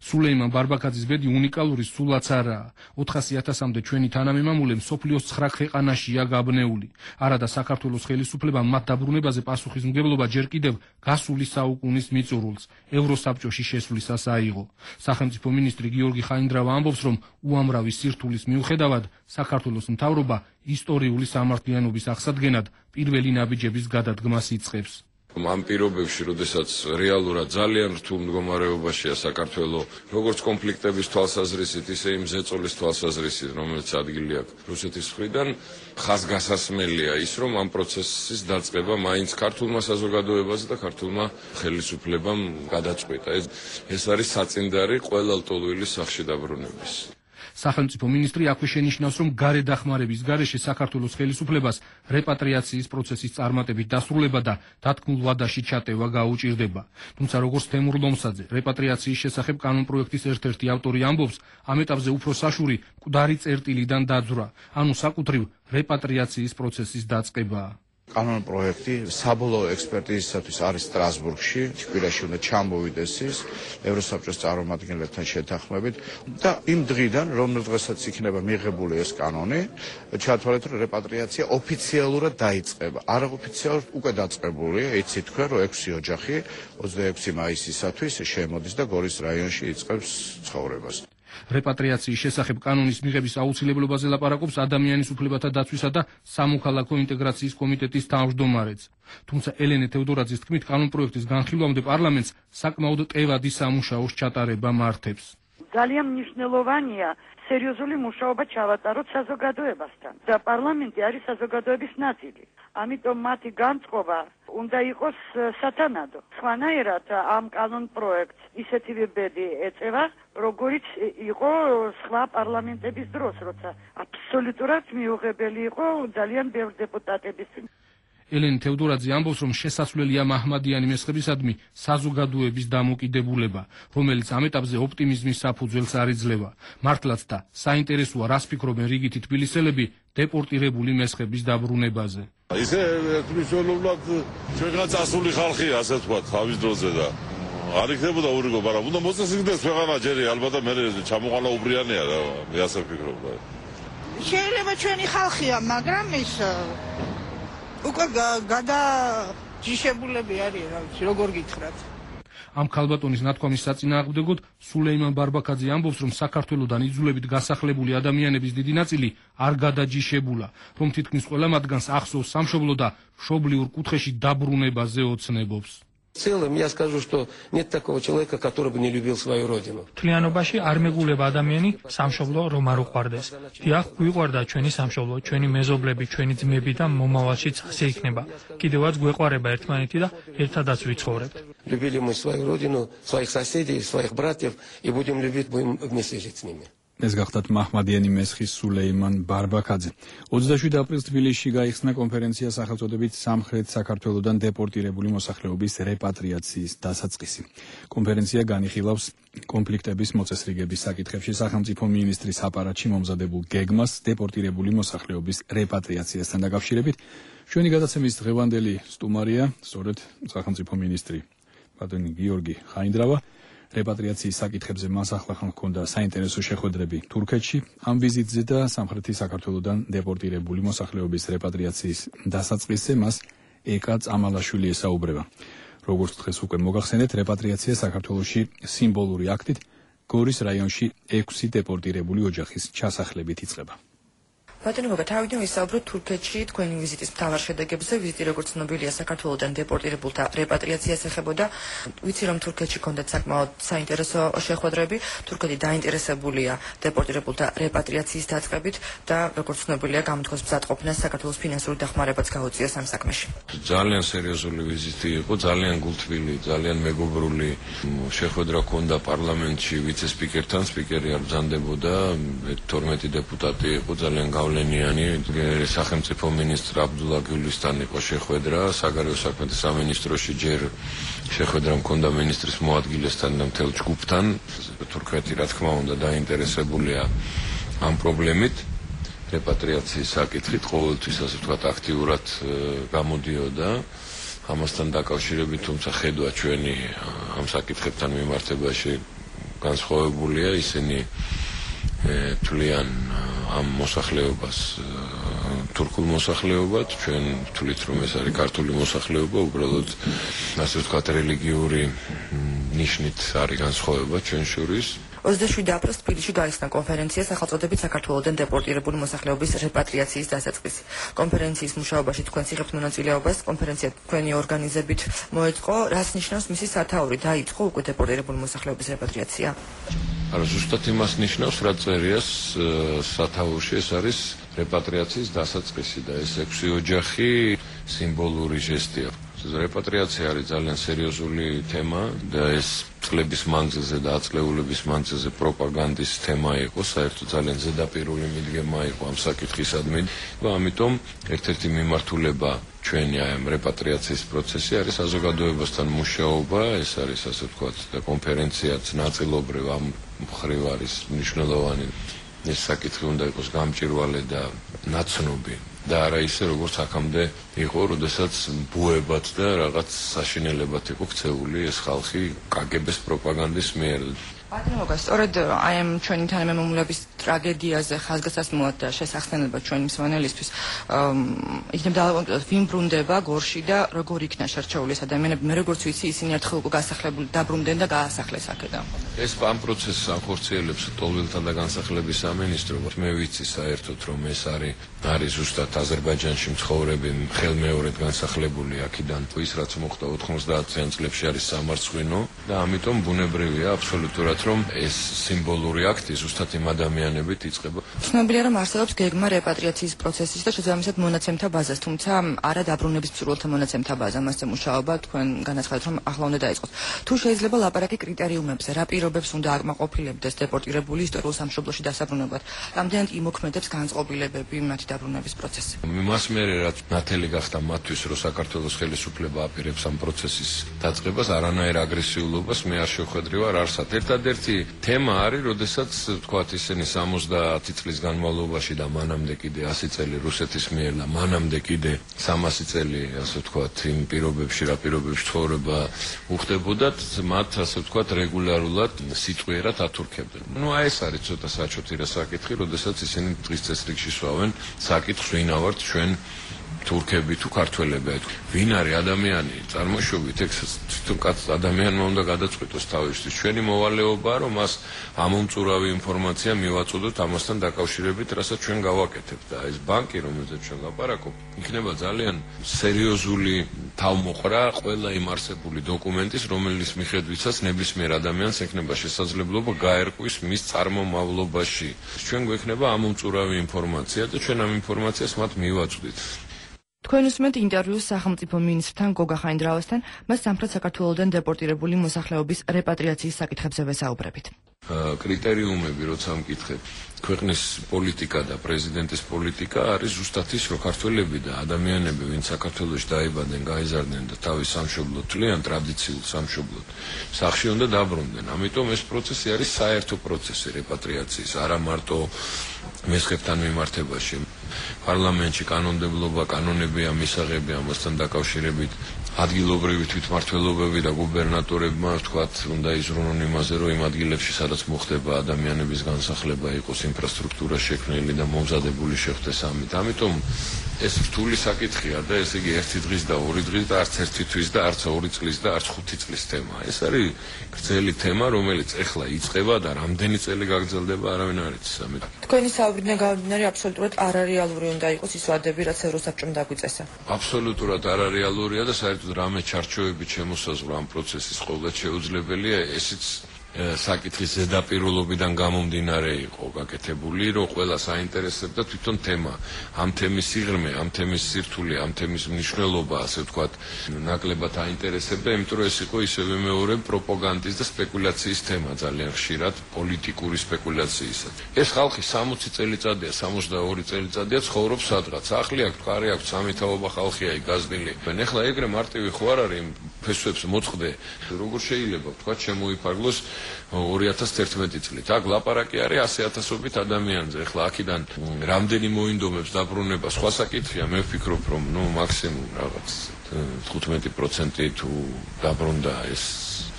სულეიმან ბარბაკაძის ბედი უნიკალური სულაც არაა. 400.000-მდე ჩვენი თანამემამულე მსოფლიოს 9 ქვეყანაშია გაბნეული. არადა საქართველოს ხელისუფლებამ მათ დაბრუნებაზე პასუხისმგებლობა ჯერ კიდევ გასული საუკუნის მიწურულს ევროსაბჭოში შესვლისას აიღო. სახელმწიფო მინისტრი გიორგი ხაინდრავა ამბობს, რომ უამრავი სირთულის მიუხედავად საქართველოს მთავრობა ისტორიული სამართლიანობის აღსადგენად პირველი ნაბიჯების გადადგმას იწყებს. ამ პირობებში, როდესაც რეალურად ძალიან რთულ მდგომარეობაშია საქართველოს, როგორც კონფლიქტების თვალსაზრისით, ისე იმ ზეწოლის თვალსაზრისით, რომელიც ადგილი აქვს რუსეთის მხრიდან, ხაზგასასმელია ის, რომ ამ პროცესის დაწყება მაინც ქართულმა საზოგადოებაზე და ქართულმა ხელისუფლებამ გადაწყვიტა. ეს არის საწინდარი ყველა ლტოლვილის სახში დაბრუნების. სახელმწიფო მინისტრი აქვე შენიშნავს, რომ გარე დახმარების გარეშე საქართველოს ხელისუფლებას რეპატრიაციის პროცესის წარმატებით დასრულება და დათქმულ ვადაში ჩატევა გაუჭირდება. თუმცა როგორც თემურ ლომსაძე, რეპატრიაციის შესახებ კანონპროექტის ერთ-ერთი ავტორი ამბობს, ამ ეტაპზე უფრო საშური მკვდარი წერტილიდან დაძვრა, ანუ საკუთრივ რეპატრიაციის პროცესის დაწყებაა. კანონპროექტი საბოლოო ექსპერტიზისათვის არის სტრასბურგში, თბილისში უნდა ჩამოვიდეს ის ევროსაბჭოს წარმომადგენლებთან შეთანხმებით და იმ დღიდან, რომ დღესაც იქნება მიღებული ეს კანონი, ჩათვალეთ, რომ რეპატრიაცია ოფიციალურად დაიწყება. არაოფიციალურად უკვე დაწყებულია, იცით თქვენ, რომ 6 ოჯახი 26 მაისისათვის შემოდის და გორის რაიონში იწყებს ცხოვრებას. რეპატრიაციის შესახებ კანონის მიღების აუცილებლობაზე ლაპარაკობს ადამიანის უფლებათა დაცვისა და სამოქალაქო ინტეგრაციის კომიტეტის თავმჯდომარეც. თუმცა ელენე თევდორაძის თქმით, კანონპროექტის განხილვამდე პარლამენტს საკმაოდ ტევადი სამუშაოს ჩატარება მართებს. ძალიან მნიშვნელოვანია სერიოზული მუშაობა ჩავატაროთ საზოგადოებასთან და პარლამენტი არის საზოგადოების ნაწილი. ამიტომ მათი განწყობა უნდა იყოს სათანადო. სხვანაირად ამ კანონპროექტს ისეთივე ბედი ეწევა, როგორიც იყო სხვა პარლამენტების დროს, როცა აბსოლუტურად მიუღებელი იყო ძალიან ბევრი დეპუტატების. ელენე თევდორაძე ამბობს, რომ შესაძლებელია მაჰმადიანი მესხებისადმი საზოგადოების დამოკიდებულება, რომელიც ამ ეტაპზე ოპტიმიზმის საფუძველს არ იძლევა. მართლაც და საინტერესოა, რას ფიქრობენ რიგითი თბილისელები დეპორტირებული მესხების დაბრუნებაზე. ისე ერთმნიშვნელოვნად ჩვენგან წასული ხალხია, ასე ვთქვათ, თავის დროზე და არ იქნებოდა ურიგო, მაგრამ უნდა მოწესრიგდეს ქვეყანა ჯერი, ალბათ მე ჩამოყალა უბრიანია რა, მე ასე ვფიქრობ. შეიძლება ჩვენი ხალხია, მაგრამ ის უკვე გადაჯიშებულები არის, რა ვიცი, როგორ გითხრათ. ამ ქალბატონის ნათქვამის საწინააღმდეგოდ სულეიმან ბარბაქაძე ამბობს, რომ საქართველოსდან იძულებით გასახლებული ადამიანების დიდი ნაწილი არ გადაჯიშებულა, რომ თითქმის ყველა მათგანს ახსოვს სამშობლო და მშობლიურ კუთხეში დაბრუნებაზე ოცნებობს. В целом я скажу, что нет такого человека, который бы не любил свою родину. Თლიანობაში არ მეგულება ადამიანი სამშობლო რომ არ უყვარდეს. დიახ, გვიყვარდა ჩვენი სამშობლო, ჩვენი მეზობლები, ჩვენი ძმები და მომავალშიც ასე იქნება. კიდევაც გვეყვარება ერთმანეთი და ერთადაც ვიცხოვრებთ. Любили мы свою родину, своих соседей, своих братьев и будем любить, будем вместе жить с ними. ეს გახდათ მაჰმადიანი მესხის სულეიმან ბარბაქაძე. 27 აპრილს თბილისში გაიხსნა კონფერენცია სახელწოდებით სამხრეთ საქართველოსდან დეპორტირებული მოსახლეობის რეპატრიაციის დასაწყისი. კონფერენცია განიხილავს კონფლიქტების მოწესრიგების საკითხებში სახელმწიფო მინისტრის აპარატში მომზადებულ გეგმას დეპორტირებული მოსახლეობის რეპატრიაციასთან დაკავშირებით. ჩვენი გადაცემის დღევანდელი სტუმარია სწორედ სახელმწიფო მინისტრი ბატონი გიორგი ხაინდრავა. რეპატრიაციის საკითხებზე მას ახლა ჰქონდა საინტერესო შეხვედრები თურქეთში. ამ ვიზიტზე და სამხრეთი საქართველოსდან დეპორტირებული მოსახლეობის რეპატრიაციის დასაწყისზე მას ეკა წამალაშვილი ესაუბრება. როგორც დღეს უკვე მოგახსენეთ, რეპატრიაცია საქართველოში სიმბოლური აქტით გორის რაიონში 6 დეპორტირებული ოჯახის ჩასახლებით იწყება. ბატონო, თავიდან ვისაუბროთ თურქეთში თქვენი ვიზიტის მთავარ შედეგებზე. ვიზიტი, როგორც ცნობილია, საქართველოსდან დეპორტირებულთა რეპატრიაციას ეხებოდა. ვიცი, რომ თურქეთში ჰქონდათ საკმაოდ საინტერესო შეხვედრები. თურქეთი დაინტერესებულია დეპორტირებულთა რეპატრიაციის დაწყებით და, როგორც ცნობილია, გამოთქვას მზადყოფნას საქართველოს ფინანსური დახმარებაც გაუწიოს ამ საქმეში. ძალიან სერიოზული ვიზიტი იყო, ძალიან გულთბილი, ძალიან მეგობრული შეხვედრა ჰქონდა პარლამენტში ვიცე-სპიკერთან. სპიკერი არ ბრძანდებოდა, 12 დეპუტატი იყო, ძალიან სახელმწიფო მინისტრ აბდულა გულისთან იყო შეხვედრა, საგარეო საქმეთა სამინისტროში ჯერ შეხვედრა მქონდა მინისტრის მოადგილესთან და მთელ ჯგუფთან. თურქეთი, რა თქმა უნდა, დაინტერესებულია ამ პრობლემით. რეპატრიაციის საკითხით ყოველთვის, ასე ვთქვათ, აქტიურად გამოდიოდა. ამასთან დაკავშირებით, თუმცა ხედვა ჩვენი ამ საკითხებთან მიმართებაში განსხვავებულია, ისინი თვლიან ამ მოსახლეობას თურქულ მოსახლეობად, ჩვენ ვთვლით, რომ ეს არის ქართული მოსახლეობა, უბრალოდ ასე ვთქვათ, რელიგიური ნიშნით არის განსხვავება ჩვენ შორის. 27 აპრილს თბილისში გაიხსნა კონფერენცია სახელწოდებით საქართველოსდან დეპორტირებული მოსახლეობის რეპატრიაციის დასაწყისი. კონფერენციის მუშაობაში თქვენს იღებთ მონაწილეობას. კონფერენცია თქვენი ორგანიზებით მოეწყო. რას ნიშნავს მისი სათაური? დაიწყო უკვე დეპორტირებული მოსახლეობის რეპატრიაცია? არა, ზუსტად იმას ნიშნავს, რა წერია სათაურში, ეს არის რეპატრიაციის დასაწყისი და ეს 6 ოჯახი სიმბოლური ჟესტია. რეპატრიაცია არის ძალიან სერიოზული თემა და ეს წლების მანძილზე და აწლეულების მანძილზე პროპაგანდის თემა იყო, საერთოდ ძალიან ზედაპირული მიდგემა იყო ამ საკითხისადმი. ამიტომ ერთ-ერთი მიმართულება ჩვენი ამ რეპატრიაციის პროცესი არის საზოგადოებასთან მუშაობა, ეს არის ასე ვთქვათ და კონფერენციაც ნაწილობრივ ამ მხრივ არის მნიშვნელოვანი. ეს საკითხი უნდა იყოს გამჭვირვალე და ნაცნობი. და არა ისე როგორც აქამდე იყო, როდესაც ბუებად და რაღაც საშინელებად იყო ქცეული ეს ხალხი კგბ-ს პროპაგანდის მიერ. ბატონო, სწორედ აი ამ ჩვენი თანამემამულების ტრაგედიაზე ხაზგასმულად და შესახსენება ჩვენი მსმენელისთვის იქნებ დავამტკიცოთ, ვინ ბრუნდება გორში და როგორ იქნა შერჩეული ეს ადამიანები. მე როგორც ვიცი, ისინი ერთხელ უკვე გასახლებული დაბრუნდნენ და გაასახლეს აქედან. ეს ამ პროცესს ახორციელებს ტოლვილთა და განსახლების სამინისტრო. მე ვიცი საერთოდ, რომ ეს არის ზუსტად აზერბაიჯანში მცხოვრები ხელმეორედ განსახლებული აქედან. ის რაც მოხდა 90-იან წლებში არის სამარცხვინო და ამიტომ ბუნებრივია აბსოლუტურად რომ ეს სიმბოლური აქტი ზუსტად იმ ადამიანებით იწყება. ცნობილია, რომ არსებობს გეგმა რეპატრიაციის პროცესის და შესაბამისად მონაცემთა ბაზას, თუმცა არა დაბრუნების მსურველთა მონაცემთა ბაზა. მასზე მუშაობა თქვენ განაცხადეთ, რომ ახლა უნდა დაიწყოს. თუ შეიძლება ლაპარაკი კრიტერიუმებზე, რა პირობებს უნდა აკმაყოფილებდეს დეპორტირებული ისტორიულ სამშობლოში დასაბრუნებლად, რამდენად იმოქმედებს განწყობილებები მათი დაბრუნების პროცესი. მას მერე რაც ნათელი გახდა მათთვის, რომ საქართველოს ხელისუფლება აპირებს ამ პროცესის დაწყებას, არანაირ აგრესიულობას მე არ შევხედრივარ არსად. ერთადერთი თემა არის, როდესაც თქვათ ისინი 70 წლის განმავლობაში და მანამდე კიდე 100 წელი რუსეთის მიერ და მანამდე კიდე 300 წელი, ასე ვთქვათ, იმ პირობებში, რა პირობებში ცხოვრება უხდებოდათ, მათ ასე ვთქვათ, რეგულარულად სიტყვიერად ათურქებდნენ. აი ეს არის ცოტა საჩოთი რა საკითხი, როდესაც ისინი დღის წესრიგში სვავენ საკითხს, ვინა ვართ ჩვენ თურქები თუ ქართველები. ვინ არის ადამიანი? წარმოშობით ეგ თვითონ კაც ადამიანმა უნდა გადაწყვიტოს თავისთვის. ჩვენი მოვალეობაა, რომ მას ამომწურავი ინფორმაცია მივაწოდოთ ამასთან დაკავშირებით, რასაც ჩვენ გავაკეთებთ. და ეს ბანკი, რომელზეც ჩვენ ლაპარაკობთ, იქნება ძალიან სერიოზული თავმოყრა ყველა იმ არსებული დოკუმენტის, რომელიც მიხედვითაც ნებისმიერ ადამიანს ექნება შესაძლებლობა გაერყვის მის წარმომავლობაში. ჩვენ გვექნება ამომწურავი ინფორმაცია და ჩვენ ამ ინფორმაციას მათ მივაწვდით. თქვენ უსმენთ ინტერვიუს სახელმწიფო მინისტრთან გოგა ხაინდრავასთან, მას სამხრეთ საქართველოდან დეპორტირებული მოსახლეობის რეპატრიაციის საკითხებზე ვესაუბრებით. კრიტერიუმები, როცა მკითხეთ, ქვეყნის პოლიტიკა და პრეზიდენტის პოლიტიკა არის ზუსტად ის, რომ ქართველები და ადამიანები, ვინც საქართველოში დაიბადნენ, გაიზარდნენ და თავის სამშობლოდ თვლიან ტრადიციულ სამშობლოდ, სახლში უნდა დაბრუნდნენ. ამიტომ ეს პროცესი არის საერთო პროცესი რეპატრიაციის, არა მარტო მესხებთან მიმართებაში. პარლამენტში კანონმდებლობა, კანონებია, მისაღები ამასთან დაკავშირებით. ადგილობრივი თვითმმართველობები და გუბერნატორებმა ვთქვათ, უნდა იზრუნონ იმაზე, რომ იმ ადგილებში, სადაც მოხდება ადამიანების განსახლება, იყოს ინფრასტრუქტურა შექმნილი და მომზადებული შეხვდეს ამით. ამიტომ ეს რთული საკითხია და ესე იგი 1 დღის და 2 დღის და არც 1 თვის და არც 2 წლის და არც 5 წლის თემაა. ეს არის გრძელი თემა, რომელიც ეხლა იწყება და რამდენი წელი გაგრძელდება, არავინ არ იცის. ამიტომ თქვენი საუბრიდან გამომდინარე, აბსოლუტურად არარეალური უნდა იყოს ის ვადები, რაც ევროსაბჭომ დაგვიწესა. აბსოლუტურად არარეალურია და საერთოდ რამე ჩარჩოებით შემოსაზღვრა ამ პროცესის ყოველ შეუძლებელია, ესეც საკითხის ზედაპირულობიდან გამომდინარე იყო გაკეთებული, რომ ყველას აინტერესებდა თვითონ თემა, ამ თემის სიღრმე, ამ თემის სირთულე, ამ თემის მნიშვნელობა, ასე ვთქვათ, ნაკლებად აინტერესებდა, იმიტომ რომ ეს იყო ისევე მეორე პროპაგანდის და სპეკულაციის თემა ძალიან ხშირად, პოლიტიკური სპეკულაციისა. ეს ხალხი 60 წელიწადია, 62 წელიწადია ცხოვრობს სადღაც. ახლი აქვს, კარი აქვს, სამეთაობა ხალხია იგაზნილი. ეხლა ეგრე მარტივი ხო არ არის ფესვებს მოწყდე, როგორ შეიძლება ვთქვათ, შემოიფარგლოს 2011 წლით. აქ ლაპარაკი არის 100,000-ობით ადამიანზე. ეხლა აქედან რამდენი მოინდომებს დაბრუნება, სხვა საკითხია. მე ვფიქრობ, რომ მაქსიმუმ რაღაც 15% თუ დაბრუნდა, ეს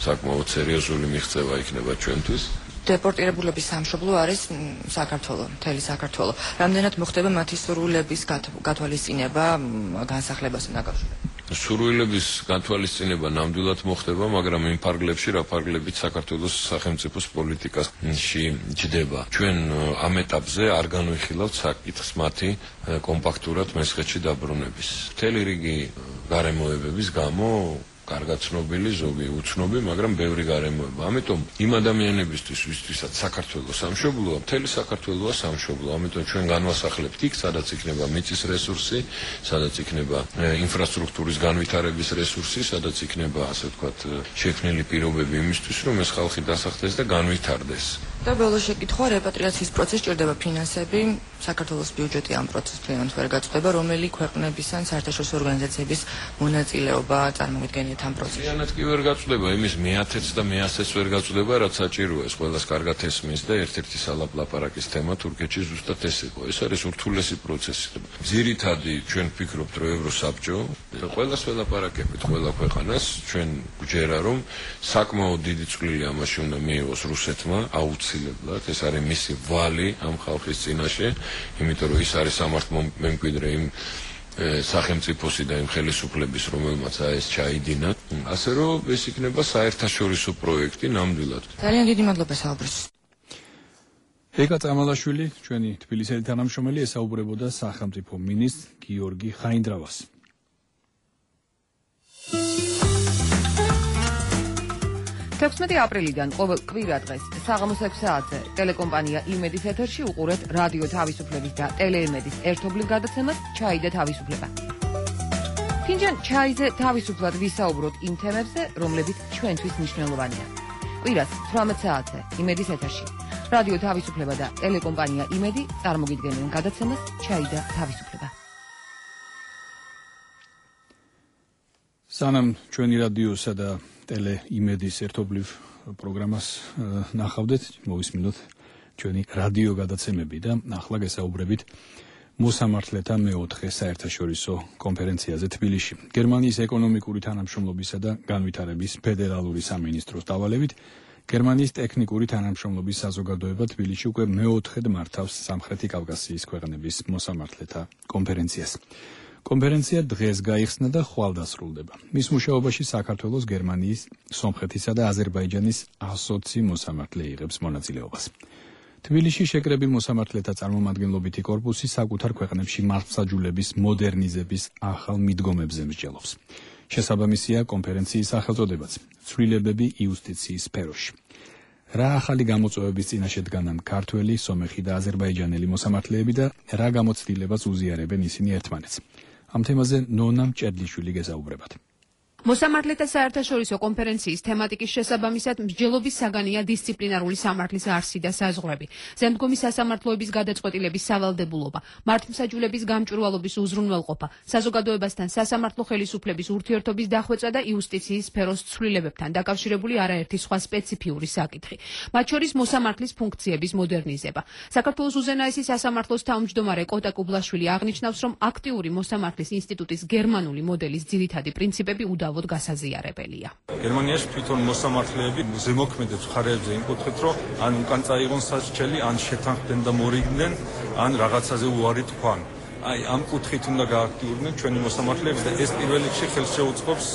საკმაოდ სერიოზული მიღწევა იქნება ჩვენთვის. დეპორტირებულების სამშობლო არის საქართველო, მთელი საქართველო. რამდენად მოხდება მათი სურვილების გათვალისწინება განსახლებასთან დაკავშირებით? სურვილების გათვალისწინება ნამდვილად მოხდება, მაგრამ იმ ფარგლებში, რა ფარგლებით საქართველოს სახელმწიფოს პოლიტიკაში ჯდება. ჩვენ ამ ეტაპზე არ განვიხილავთ საკითხს მათი კომპაქტურად მესხეთში დაბრუნების. მთელი რიგი გარემოებების გამო კარგად ცნობილი, ზოგი უცნობი, მაგრამ ბევრი გარემოება. ამიტომ იმ ადამიანებისთვის, ვისთვისაც საქართველო სამშობლოა, მთელი საქართველოა სამშობლო. ამიტომ ჩვენ განვასახლებთ იქ, სადაც იქნება მიწის რესურსი, სადაც იქნება ინფრასტრუქტურის განვითარების რესურსი, სადაც იქნება, ასე ვთქვათ, შექმნილი პირობები იმისთვის, რომ ეს ხალხი დასახლდეს და განვითარდეს. და ბოლოს შეკითხვა, რეპატრიაციის პროცესს ჭირდება ფინანსები, საქართველოს ბიუჯეტი ამ პროცესს ფინანსურად ვერ გაწყვეტება, რომელი ქვეყნების ან საერთაშორისო ორგანიზაციების მონაწილეობა წარმოგიდგენიათ ამ პროცესში?იანად კი ვერ გაწყვეტება, იმის მე-10-ს და მე-100-ს ვერ გაწყვეტება, რაც საჭიროა. ეს ყველას კარგად ესმის და ერთ-ერთი სალაპარაკის თემა თურქეთში ზუსტად ეს იყო. ეს არის ურთულესი პროცესი. ძირითადი ჩვენ ვფიქრობთ, რომ ევროსაბჭო ყველას ველაპარაკებით, ყველა ქვეყანას ჩვენ გვჯერა, რომ საკმაოდ დიდი წვლილი ამაში უნდა მიიღოს რუსეთმა, აუცილებლად. ეს არის მისი ვალი ამ ხალხის წინაშე, იმიტომ რომ ის არის სამართლმემკვიდრე იმ სახელმწიფოსი და იმ ხელისუფლების, რომელმაც ეს ჩაიდინა. ასე რომ ეს იქნება საერთაშორისო პროექტი ნამდვილად. ძალიან დიდი მადლობა საუბრისთვის. ეკა წამალაშვილი, ჩვენი თბილისელი თანამშრომელი, ესაუბრებოდა სახელმწიფო მინისტრ გიორგი ხაინდრავას. 16 აპრილიდან ყოველ კვირა დღეს საღამოს 6 საათზე ტელეკომპანია იმედის ეთერში უყურეთ რადიო თავისუფლების და ტელეიმედის ერთობლივ გადაცემას ჩაი და თავისუფლება. ფინჯან ჩაიზე თავისუფლად ვისაუბროთ იმ თემებზე, რომლებიც ჩვენთვის მნიშვნელოვანია. კვირას 18 საათზე იმედის ეთერში რადიო თავისუფლება და ტელეკომპანია იმედი წარმოგიდგენენ გადაცემას ჩაი და თავისუფლება. სანამ ჩვენი რადიოსა და ტელე იმედის ერთობლივ პროგრამას ნახავდეთ, მოვისმინოთ ჩვენი რადიო გადაცემები და ახლა გესაუბრებით მოსამართლეთა მე-4 საერთაშორისო კონფერენციაზე თბილისში. გერმანიის ეკონომიკური თანამშრომლობისა და განვითარების ფედერალური სამინისტროს დავალებით გერმანიის ტექნიკური თანამშრომლობის საზოგადოება თბილისში უკვე მე-4-ედ მართავს სამხრეთი კავკასიის ქვეყნების მოსამართლეთა კონფერენციას. კონფერენცია დღეს გაიხსნა და ხვალ დასრულდება. მის მუშაობაში საქართველოს, გერმანიის, სომხეთისა და აზერბაიჯანის 120 მოსამართლე იღებს მონაწილეობას. თბილისში შეკრებილ მოსამართლეთა წარმომადგენლობითი კორპუსი საკუთარ ქვეყნებში მართლმსაჯულების მოდერნიზების ახალ მიდგომებზე მსჯელობს. შესაბამისია კონფერენციის სახელწოდებაც ცვლილებები იუსტიციის სფეროში. რა ახალი გამოწვევების წინაშე დგანან ქართველი, სომეხი და აზერბაიჯანელი მოსამართლეები და რა გამოცდილებას უზიარებენ ისინი ერთმანეთს. ამ თემაზე ნონა მჭედლიშვილი გესაუბრებათ. მოსამართლეთა საერთაშორისო კონფერენციის თემატიკის შესაბამისად მსჯელობის საგანია დისციპლინარული სამართლის არსი და საზღვრები, ზემდგომი სასამართლოების გადაწყვეტილების სავალდებულობა, მართლმსაჯულების გამჭვირვალობის უზრუნველყოფა, საზოგადოებასთან სასამართლო ხელისუფლების ურთიერთობის დახვეწა და იუსტიციის სფეროს ცვლილებებთან დაკავშირებული არაერთი სხვა სპეციფიური საკითხი, მათ შორის მოსამართლის ფუნქციების მოდერნიზება. საქართველოს უზენაესი სასამართლოს თავმჯდომარე კოტა კუბლაშვილი აღნიშნავს, რომ აქტიური მოსამართლის ინსტიტუტის გერმანული მოდელის ძირითადი პრინციპები უდავოდ გასაზიარებელია. გერმანიაში თვითონ მოსამართლეები ზემოქმედებს მხარეებზე იმკუთხედ, რომ ან უკან წაიღონ სასჯელი, ან შეთანხმდნენ და მორიგდნენ, ან რაღაცაზე უარი თქვან. აი, ამ კუთხით უნდა გააქტიურდნენ ჩვენი მოსამართლეები და ეს პირველ რიგში ხელს შეუწყობს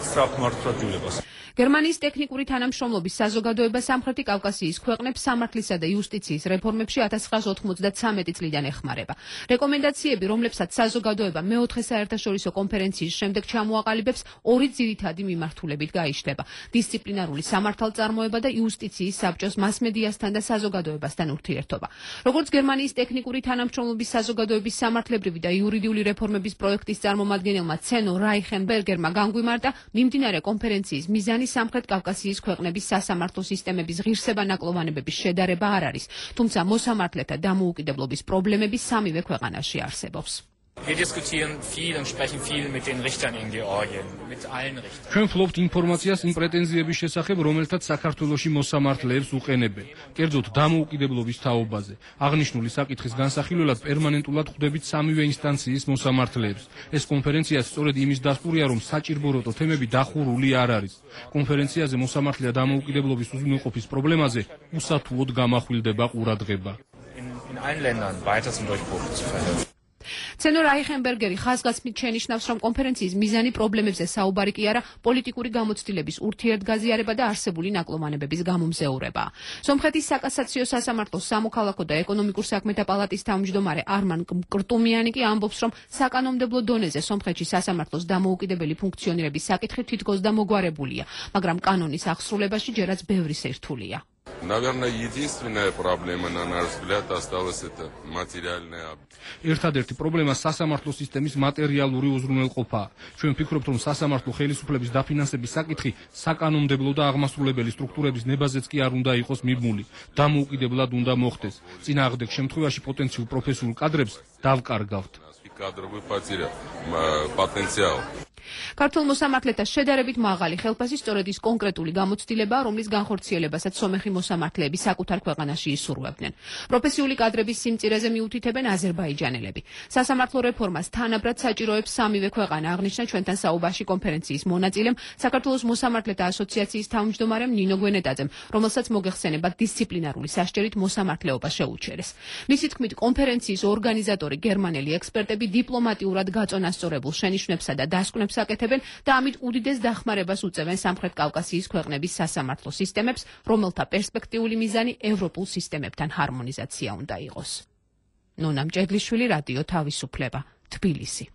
სწრაფ მართლმსაჯულებას. გერმანიის ტექნიკური თანამშრომლობის საზოგადოება სამხრეთი კავკასიის ქვეყნებს სამართლისა და იუსტიციის რეფორმებში 1993 წლიდან ეხმარება. რეკომენდაციები, რომლებსაც საზოგადოება მეოთხე საერთაშორისო კონფერენციის შემდეგ ჩამოაყალიბებს, ორი ძირითადი მიმართულებით გაიშლება: დისციპლინარული სამართალწარმოება და იუსტიციის საბჭოს მასმედიასთან და საზოგადოებასთან ურთიერთობა. როგორც გერმანიის ტექნიკური თანამშრომლობის საზოგადოების სამართლებრივი და იურიდიული რეფორმების პროექტის წარმომადგენელმა ცენო რაიხენბერგერმა განგვიმარტა, მიმდინარე კონფერენციის მიზანი სამხრეთ კავკასიის ქვეყნების სასამართლო სისტემების ღირსება-ნაკლოვანებების შედარება არ არის, თუმცა მოსამართლეთა დამოუკიდებლობის პრობლემები სამივე ქვეყანაში არსებობს. Wir diskutieren viel und sprechen viel mit den Richtern in Georgien, mit allen Richtern. ჩვენ ვფლობთ ინფორმაციას იმ პრეტენზიების შესახებ, რომელთაც საქართველოში მოსამართლეებს უყენებენ. კერძოდ დამოუკიდებლობის თაობაზე. აღნიშნული საკითხის განსახილველად პერმანენტულად ხვდებით სამივე ინსტანციის მოსამართლეებს. ეს კონფერენცია სწორედ იმის დასტურია, რომ საჭირბოროტო თემები დახურული არ არის. კონფერენციაზე მოსამართლეთა დამოუკიდებლობის უზრუნველყოფის პრობლემაზე უსათუოდ გამახვილდება ყურადღება. In allen Ländern weiter zum Durchbruch zu verhelfen. ცენო რაიხენბერგერი ხაზგასმით შენიშნავს, რომ კონფერენციის მიზანი პრობლემებზე საუბარი კი არა, პოლიტიკური გამოცდილების ურთიერთგაზიარება და არსებული ნაკლოვანებების გამომზეურება. სომხეთის საკასაციო სასამართლოს სამოქალაქო და ეკონომიკურ საქმეთა პალატის თავმჯდომარე არმან კრტუმიანი კი ამბობს, რომ საკანონმდებლო დონეზე სომხეთში სასამართლოს დამოუკიდებელი ფუნქციონირების საკითხი თითქოს და მოგვარებულია, მაგრამ კანონის აღსრულებაში ჯერაც ბევრი სირთულეა. Наверное, единственная проблема, на наш взгляд, осталась это материальная. ერთადერთი პრობლემა სასამართლო სისტემის მატერიალური უზრუნველყოფაა. ჩვენ ვფიქრობთ, რომ სასამართლო ხელისუფლების დაფინანსების საკითხი საკანონმდებლო და აღმასრულებელი სტრუქტურების ნებაზეც კი არ უნდა იყოს მიბმული. დამოუკიდებლად უნდა მოხდეს. წინააღმდეგ შემთხვევაში პოტენციურ პროფესიულ კადრებს დავკარგავთ. Кадровый потеря, потенциал. ქართულ მოსამართლეთა შედარებით მაღალი ხელფასი სწორედ ის კონკრეტული გამოცდილებაა, რომლის განხორციელებასაც სომეხი მოსამართლეები საკუთარ ქვეყანაში ისურვებდნენ. პროფესიული კადრების სიმწირეზე მიუთითებენ აზერბაიჯანელები. სასამართლო რეფორმას თანაბრად საჭიროებს სამივე ქვეყანა, აღნიშნა ჩვენთან საუბარში კონფერენციის მონაწილემ, საქართველოს მოსამართლეთა ასოციაციის თავმჯდომარემ ნინო გვენეტაძემ, რომელსაც მოგეხსენება დისციპლინარული სასჯელით მოსამართლეობა შეუჩერეს. მისი თქმით, კონფერენციის ორგანიზატორი გერმანელი ექსპერტები დიპლომატიურად გაწონასწორებულ შენიშვნებსა და დასკვნებს აკეთებენ და ამით უდიდეს დახმარებას უწევენ სამხრეთ კავკასიის ქვეყნების სასამართლო სისტემებს, რომელთა პერსპექტიული მიზანი ევროპულ სისტემებთან ჰარმონიზაცია უნდა იყოს. ნონა მჭედლიშვილი, რადიო თავისუფლება, თბილისი.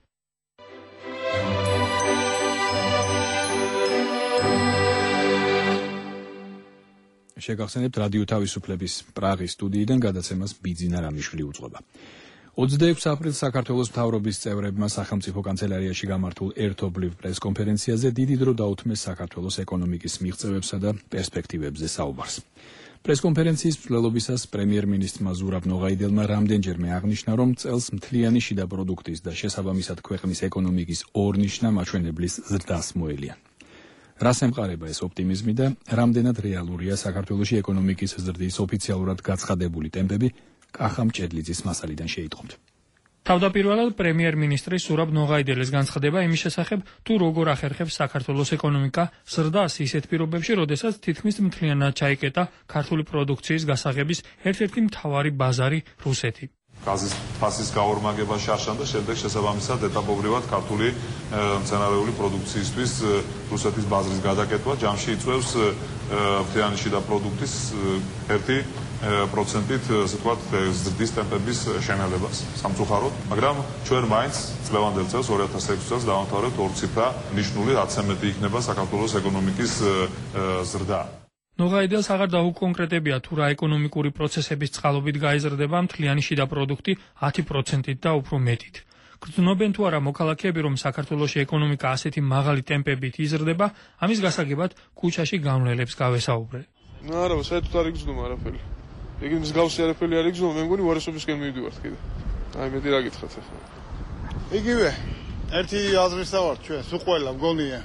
შეგახსენებთ რადიო თავისუფლების პრაღის სტუდიიდან გადაცემას ბიძინა რამიშვილი უძღვება. 26 აპრილს საქართველოს მთავრობის წევრებმა სახელმწიფო კანცელარიაში გამართულ ერთობლივ პრესკონფერენციაზე დიდი დრო დაუთმეს საქართველოს ეკონომიკის მიღწევებსა და პერსპექტივებზე საუბარს. პრესკონფერენციის მსვლელობისას პრემიერ-მინისტრმა ზურაბ ნოღაიდელმა რამდენჯერმე აღნიშნა, რომ წელს მთლიანი შიდა პროდუქტის და შესაბამისად ქვეყნის ეკონომიკის ორნიშნა მაჩვენებლის ზრდას მოელიან. რას ემყარება ეს ოპტიმიზმი და რამდენად რეალურია საქართველოში ეკონომიკის ზრდის ოფიციალურად გაცხადებული ტემპები? კახა მჭედლიძის მასალიდან შეიტყობთ. თავდაპირველად პრემიერ-მინისტრის ზურაბ ნოღაიდელის განცხადება იმის შესახებ, თუ როგორ ახერხებს საქართველოს ეკონომიკა ზრდას ისეთ პირობებში, როდესაც თითქმის მთლიანად ჩაიკეტა ქართული პროდუქციის გასაღების ერთ-ერთი მთავარი ბაზარი რუსეთი. გაზის ფასის გაორმაგება შარშან და შემდეგ შესაბამისად ეტაპობრივად ქართული მცენარეული პროდუქციისთვის რუსეთის ბაზრის გადაკეთვა ჯამში იწვევს მთლიანი შიდა პროდუქტის 1%-ით, ასე ვთქვათ, ზრდის ტემპების შენელებას სამწუხაროდ, მაგრამ ჩვენ მაინც წლევანდელ წელს 2006 წელს დავამთავრებთ ორციფრა ნიშნული 10-ზე მეტი იქნება საქართველოს ეკონომიკის ზრდა. ნოღაიდელს აღარ დაუკონკრეტებია თუ რა ეკონომიკური პროცესების წყალობით გაიზრდება მთლიანი შიდა პროდუქტი 10%-ით და უფრო მეტით. გრძნობენ თუ არა მოქალაქეები, რომ საქართველოში ეკონომიკა ასეთი მაღალი ტემპებით იზრდება, ამის გასაგებად ქუჩაში გამლელებს გავესაუბრე. არა, საერთოდ არ იგრძნობა არაფერი. იგი მსგავსი არაფერი არ იგრძნობა, მე მგონი უარესობისკენ მივიდივართ კიდე. აი მეტი რა გითხრათ ახლა. იგივე, ერთი აზრისა ვართ ჩვენ, სულ ყველა მგონია.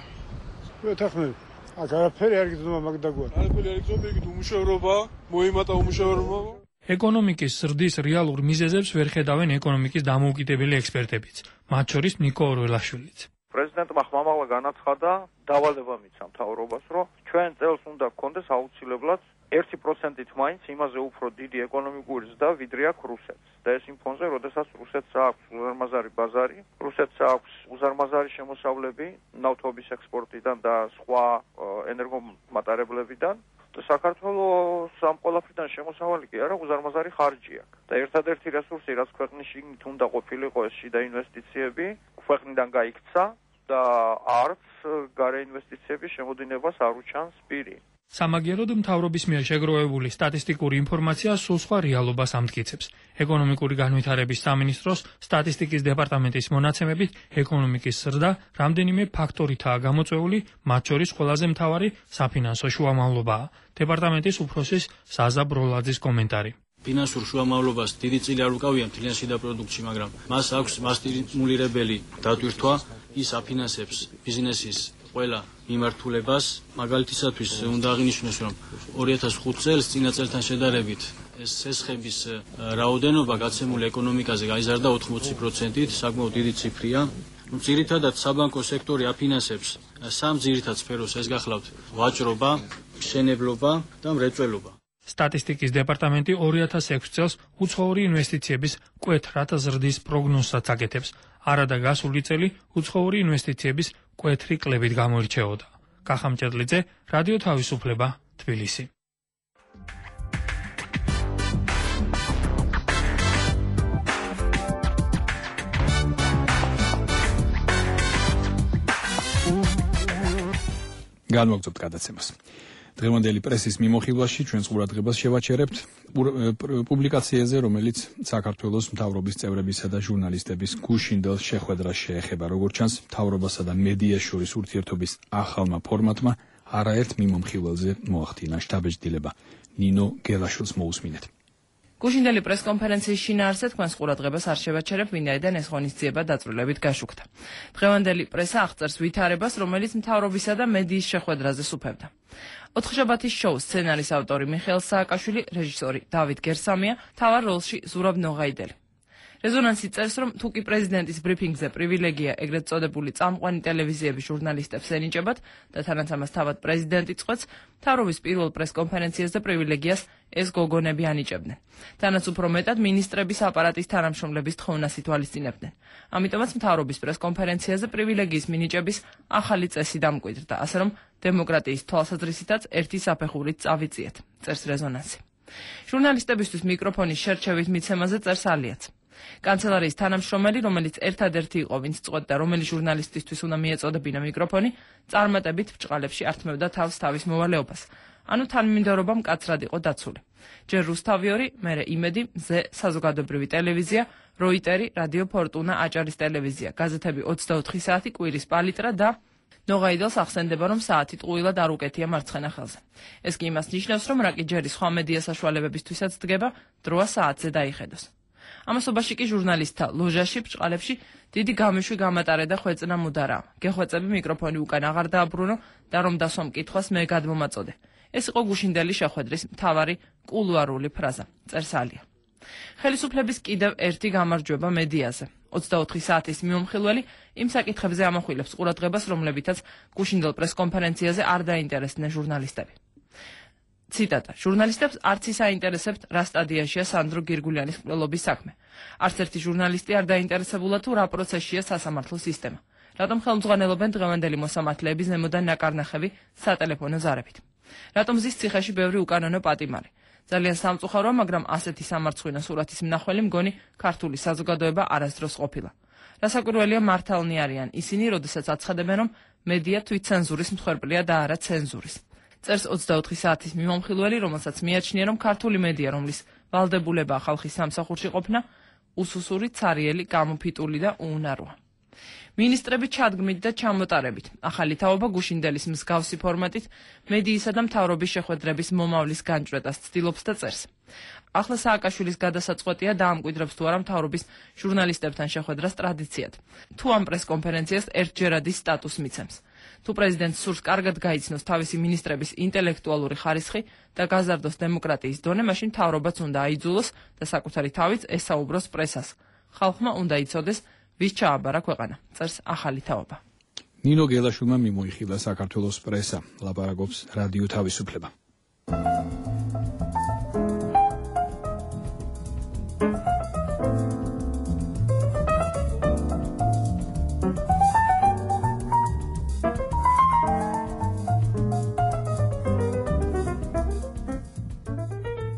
ვეთახმები. აქ არაფერი არ იგრძნობა მაგ დაგვარ. არაფერი არ იგრძნობა, იგი უმუშევრობა, მოიმატა უმუშევრობა. ეკონომიკის ზრდის რეალურ მიზეზებს ვერ ხედავენ ეკონომიკის დამოუკიდებელი ექსპერტებიც, მათ შორის ნიკო ორველაშვილიც. პრეზიდენტმა ხმამაღლა განაცხადა, დავალება მისცა მთავრობას, რომ ჩვენ წელს უნდა გქონდეს აუცილებლად 1%-ით მაინც იმაზე უფრო დიდი ეკონომიკური ზრდა, ვიდრე აქვს რუსეთს. და ეს იმ ფონზე, როდესაც რუსეთს აქვს უზარმაზარი ბაზარი, რუსეთს აქვს უზარმაზარი შემოსავლები ნავთობის ექსპორტიდან და სხვა ენერგომატარებლებიდან. საქართველოს ამ ყველაფრიდან შემოსავალი კი არა, უზარმაზარი ხარჯი აქვს. და ერთადერთი რესურსი, რაც ქვეყნის შიგნით უნდა ყოფილიყო, ეს შიდა ინვესტიციები, ქვეყნიდან გაიქცა და არც გარე ინვესტიციების შემოდინებას არ უჩანს პირი. სამაგიეროდ მთავრობის მიერ შეგროვებული სტატისტიკური ინფორმაცია სულ სხვა რეალობას ამტკიცებს. ეკონომიკური განვითარების სამინისტროს სტატისტიკის დეპარტამენტის მონაცემებით, ეკონომიკის ზრდა რამდენიმე ფაქტორითაა გამოწვეული, მათ შორის ყველაზე მთავარი საფინანსო შუამავლობაა. დეპარტამენტის უფროსის საზა ბროლაძის კომენტარი. ფინანსურ შუამავლობას დიდი წილი არ უკავია მთლიან შიდა პროდუქტში, მაგრამ მას აქვს მასტიმულირებელი დატვირთვა, ის აფინანსებს ბიზნესის ყველა მიმართულებას. მაგალითისათვის უნდა აღინიშნოს, რომ 2005 წელს წინა წელთან შედარებით ეს სესხების რაოდენობა გაცემული ეკონომიკაზე გაიზარდა 80%-ით, საკმაოდ დიდი ციფრია. ძირითადად საბანკო სექტორი აფინანსებს სამ ძირითად სფეროს, ეს გახლავთ ვაჭრობა, მშენებლობა და მრეწველობა. სტატისტიკის დეპარტამენტი 2006 წელს უცხოური ინვესტიციების მკვეთრად ზრდის პროგნოზსაც აკეთებს. არადა გასული წელი უცხოური ინვესტიციების მკვეთრი კლებით გამოირჩეოდა. კახამჭედლიძე, რადიო თავისუფლება, თბილისი. განმოგწევთ გადაცემას. დღევანდელი პრესის მიმოხილვაში ჩვენს ყურადღებას შევაჩერებთ პუბლიკაციაზე, რომელიც საქართველოს მთავრობის წევრებისა და ჟურნალისტების გუშინდელ შეხვედრას შეეხება. როგორც ჩანს, მთავრობასა და მედიას შორის ურთიერთობის ახალმა ფორმატმა არაერთ მიმოხილველზე მოახდინა შთაბეჭდილება. ნინო გელაშვილს მოусმინეთ. გუშინდელი პრესკონფერენციის შინაარსზე თქვენს ყურადღებას არ შევაჩერებ, ვინაიდან ეს ღონისძიება დაწვრილებით გაშუქდა. დღევანდელი პრესა აღწერს ვითარებას, რომელიც მთავრობისა და მედიის შეხვედრაზე სუფევდა. ოთხშაბათის შოუს სცენარის ავტორი მიხეილ სააკაშვილი, რეჟისორი დავით გერსამია, მთავარ როლში ზურაბ ნოღაიდელი. რეზონანსი წერს, რომ თუკი პრეზიდენტის ბრიფინგზე პრივილეგია ეგრეთ წოდებული წამყვანი ტელევიზიების ჟურნალისტებს ენიჭებათ და თანაც ამას თავად პრეზიდენტი წყვეტს, მთავრობის პირველ პრესკონფერენციაზე პრივილეგიას ეს გოგონები ანიჭებდნენ. თანაც უფრო მეტად მინისტრების აპარატის თანამშრომლების თხოვნას ითვალისწინებდნენ. ამიტომაც მთავრობის პრესკონფერენციაზე პრივილეგიის მინიჭების ახალი წესი დამკვიდრდა, ასე რომ დემოკრატიის თვალსაზრისითაც ერთი საფეხურით წავიწიეთ, წერს რეზონანსი. ჟურნალისტებისთვის მიკროფონის შერჩევის მიცემაზე წერს ალიაც. კანცელარიის თანამშრომელი, რომელიც ერთადერთი იყო, ვინც წყვეტდა, რომელი ჟურნალისტისთვის უნდა მიეწოდებინა მიკროფონი, წარმატებით ბრჭყალებში ართმევდა თავს თავის მოვალეობას. ანუ თანმიმდევრობა მკაცრად იყო დაცული. ჯერ რუსთავი 2, მერე იმედი, მზე საზოგადოებრივი ტელევიზია, როიტერი, რადიო ფორტუნა, აჭარის ტელევიზია, გაზეთები 24 საათი, კვირის პალიტრა და ნოღაიდელს ახსენდება, რომ საათი ტყუილად არ უკეთია მარცხენა ხელზე. ეს კი იმას ნიშნავს, რომ რაკი ჯერი სხვა მედია საშუალებებისთვისაც დგება, დროა საათზე დაიხედოს. ამასობაში კი ჟურნალისტთა ლოჟაში ბრჭყალებში დიდი გამიშვი გამატარება ხვეწნა მუდარა. გეხვეწები მიკროფონი უკან აღარ დააბრუნო და რომ დასვამ კითხვას მე გადმომაწოდე. ეს იყო გუშინდელი შეხვედრის მთავარი კულუარული ფრაზა, წერს ალია. ხელისუფლების კიდევ ერთი გამარჯვება მედიაზე. 24 საათის მიმოხილველი იმ საკითხებზე ამახვილებს ყურადღებას, რომლებითაც გუშინდელ პრესკონფერენციაზე არ დაინტერესდნენ ჟურნალისტები. ციტატა: ჟურნალისტებს არც ის აინტერესებთ, რა სტადიაშია სანდრო გირგულიანის მკვლელობის საქმე. არც ერთი ჟურნალისტი არ დაინტერესებულა თუ რა პროცესშია სასამართლო სისტემა. რატომ ხელმძღვანელობენ დღევანდელი მოსამართლეების ზემოდან ნაკარნახევი სატელეფონო ზარებით? რატომ ზის ციხეში ბევრი უკანონო პატიმარი? ძალიან სამწუხაროა, მაგრამ ასეთი სამარცხვინო სურათის მნახველი მგონი ქართული საზოგადოება არასდროს ყოფილა. რასაკვირველია, მართალნი არიან ისინი, როდესაც აცხადებენ, რომ მედია თვითცენზურის მსხვერპლია და არა ცენზურის. წერს 24 საათის მიმომხილველი, რომელსაც მიაჩნია, რომ ქართული მედია, რომლის ვალდებულებაა ხალხის სამსახურში ყოფნა, უსუსური, ცარიელი, გამოფიტული და უუნაროა. მინისტრები ჩადგმით და ჩამოტარებით. ახალი თაობა გუშინდელის მსგავსი ფორმატით მედიისა და მთავრობის შეხვედრების მომავლის განჭვრეტას ცდილობს და წერს. ახლა სააკაშვილის გადასაწყვეტია დაამკვიდრებს თუ არა მთავრობის ჟურნალისტებთან შეხვედრას ტრადიციად. თუ ამ პრესკონფერენციას ერთჯერადი სტატუსს მიცემს. თუ პრეზიდენტს სურს კარგად გაიცნოს თავისი მინისტრების ინტელექტუალური ხარისხი და გაზარდოს დემოკრატიის დონე, მაშინ მთავრობაც უნდა აიძულოს და საკუთარი თავით ესაუბროს პრესას. ხალხმა უნდა იცოდეს, ვის ჩააბარა ქვეყანა, წერს ახალი თაობა. ნინო გელაშვილმა მიმოიხილა საქართველოს პრესა, ლაპარაკობს რადიო თავისუფლება.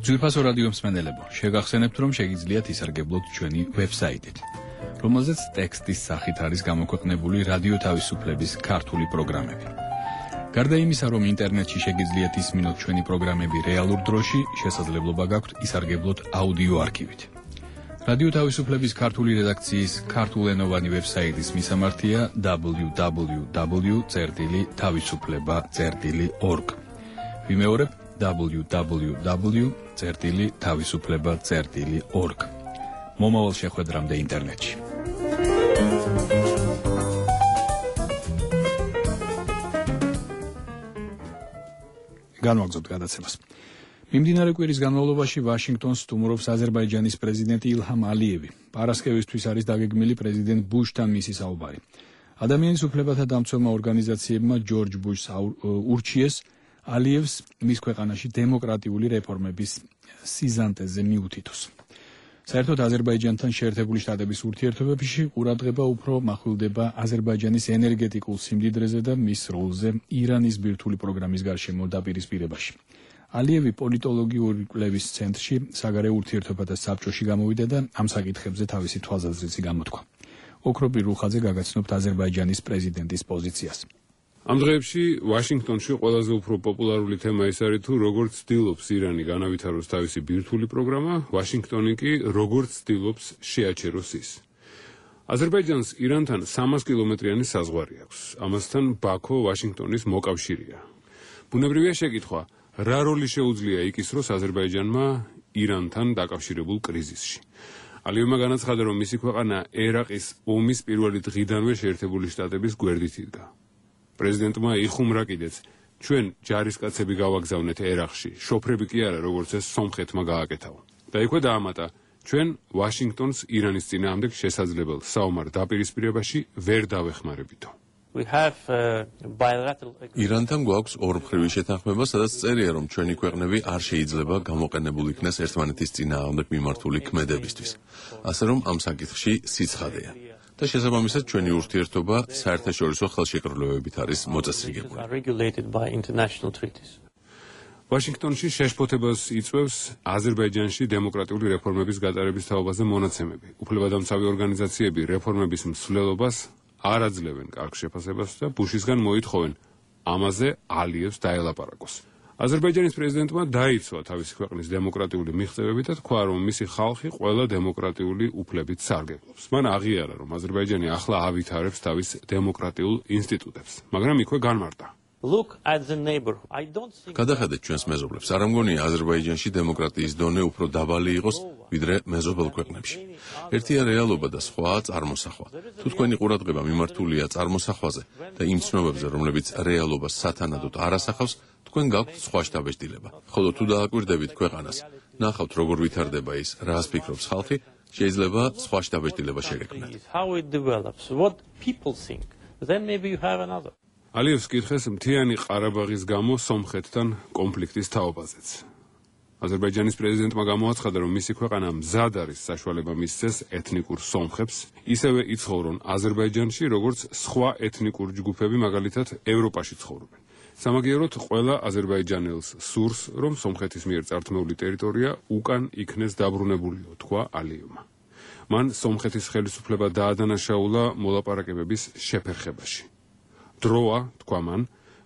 ძვირფასო რადიო მსმენელებო, შეგახსენებთ, რომ შეგიძლიათ ისარგებლოთ ჩვენი ვებსაიტით, რომელზეც ტექსტის სახით არის გამოქვეყნებული რადიო თავისუფლების ქართული პროგრამები. გარდა იმისა, რომ ინტერნეტში შეგიძლიათ ისმინოთ ჩვენი პროგრამები რეალურ დროში, შესაძლებლობა გაქვთ ისარგებლოთ აუდიო არქივით. რადიო თავისუფლების ქართული რედაქციის ქართულენოვანი ვებსაიტის მისამართია www.tavisufleba.org. ვიმეორებ www.tavisufleba.org. მომავალ შეხვედრამდე ინტერნეტში. განვაგრძობთ გადაცემას. მიმდინარე კვირის განმავლობაში ვაშინგტონს სტუმრობს აზერბაიჯანის პრეზიდენტი ილჰამ ალიევი. პარასკევისთვის არის დაგეგმილი პრეზიდენტ ბუშთან მისი საუბარი. ადამიანის უფლებათა დამცველმა ორგანიზაციებმა ჯორჯ ბუშს ურჩიეს ალიევს მის ქვეყანაში დემოკრატიული რეფორმების სიზანტეზე მიუთითოს. საერთოდ აზერბაიჯანთან შეერთებული შტატების ურთიერთობებში ყურადღება უფრო მახვილდება აზერბაიჯანის ენერგეტიკულ სიმდიდრეზე და მის როლზე ირანის ბირთვული პროგრამის გარშემო დაპირისპირებაში. ალიევი პოლიტოლოგიური კვლევის ცენტრში საგარეო ურთიერთობათა საბჭოში გამოვიდა და ამ საკითხებზე თავისი თვალსაზრისი გამოთქვა. ოქროპი რუხაძე გაგაცნობთ აზერბაიჯანის პრეზიდენტის პოზიციას. ამ დღეებში ვაშინგტონში ყველაზე უფრო პოპულარული თემა ის არის თუ როგორც ცდილობს ირანი განავითაროს თავისი ბირთვული პროგრამა, ვაშინგტონი კი როგორც ცდილობს შეაჩეროს ის. აზერბაიჯანს ირანთან 300 კილომეტრიანი საზღვარი აქვს. ამასთან ბაქო ვაშინგტონის მოკავშირეა. ბუნებრივია შეკითხვა, რა როლი შეუძლია იკისროს აზერბაიჯანმა ირანთან დაკავშირებულ კრიზისში. ალიევმა განაცხადა, რომ მისი ქვეყანა ერაყის ომის პირველი დღიდანვე შეერთებული შტატების გვერდით იდგა. პრეზიდენტმა იხუმრა კიდეც, ჩვენ ჯარისკაცები გავაგზავნეთ ერაყში, შოფრები კი არა, როგორც ეს სომხეთმა გააკეთავა. და იქვე დაამატა, ჩვენ ვაშინგტონს ირანის წინააღმდეგ შესაძლებელ საომარ დაპირისპირებაში ვერ დავეხმარებითო. ირანთან გვაქვს ორმხრივი შეთანხმება, სადაც წერია, რომ ჩვენი ქვეყნები არ შეიძლება გამოყენებულ იქნეს ერთმანეთის წინააღმდეგ მიმართული ქმედებისთვის. ასე რომ ამ საკითხში სიცხადეა. და შესაბამისად ჩვენი ურთიერთობა საერთაშორისო ხელშეკრულებებით არის მოწესრიგებული. ვაშინგტონში შეშფოთებას იწვევს აზერბაიჯანში დემოკრატიული რეფორმების გატარების თაობაზე მონაცემები. უფლებადამცავი ორგანიზაციები რეფორმების მსვლელობას არ აძლევენ კარგ შეფასებას და ბუშისგან მოითხოვენ ამაზე ალიევს დაელაპარაკოს. აზერბაიჯანის პრეზიდენტმა დაიცვა თავისი ქვეყნის დემოკრატიული მიღწევები და თქვა, რომ მისი ხალხი ყველა დემოკრატიული უფლებით სარგებლობს. მან აღიარა, რომ აზერბაიჯანი ახლა ავითარებს თავის დემოკრატიულ ინსტიტუტებს, მაგრამ იქვე განმარტა. გადახედეთ ჩვენს მეზობლებს. არ ამგონია აზერბაიჯანში დემოკრატიის დონე უფრო დაბალი იყოს, ვიდრე მეზობელ ქვეყნებში. ერთია რეალობა და სხვაა წარმოსახვა. თუ თქვენი ყურადღება მიმართულია წარმოსახვაზე და იმ ცნობებზე, რომლებიც რეალობას სათანადოდ არ ასახავს, თქვენ გაქვთ სხვა შთაბეჭდილება. ხოლო თუ დააკვირდებით ქვეყანას, ნახავთ როგორ ვითარდება ის, რას ფიქრობს ხალხი, შეიძლება სხვა შთაბეჭდილება შეგექმნათ. ალიევს კითხეს მთიანი ყარაბაღის გამო სომხეთთან კონფლიქტის თაობაზეც. აზერბაიჯანის პრეზიდენტმა გამოაცხადა, რომ მისი ქვეყანა მზად არის საშუალება მისცეს ეთნიკურ სომხებს, ისევე იცხოვრონ აზერბაიჯანში, როგორც სხვა ეთნიკური ჯგუფები, მაგალითად, ევროპაში ცხოვრობენ. სამაგიეროდ ყველა აზერბაიჯანელს სურს, რომ სომხეთის მიერ წართმეული ტერიტორია უკან იქნეს დაბრუნებულიო, თქვა ალიევმა. მან სომხეთის ხელისუფლება დაადანაშაულა მოლაპარაკებების შეფერხებაში. დროა, თქვა მან,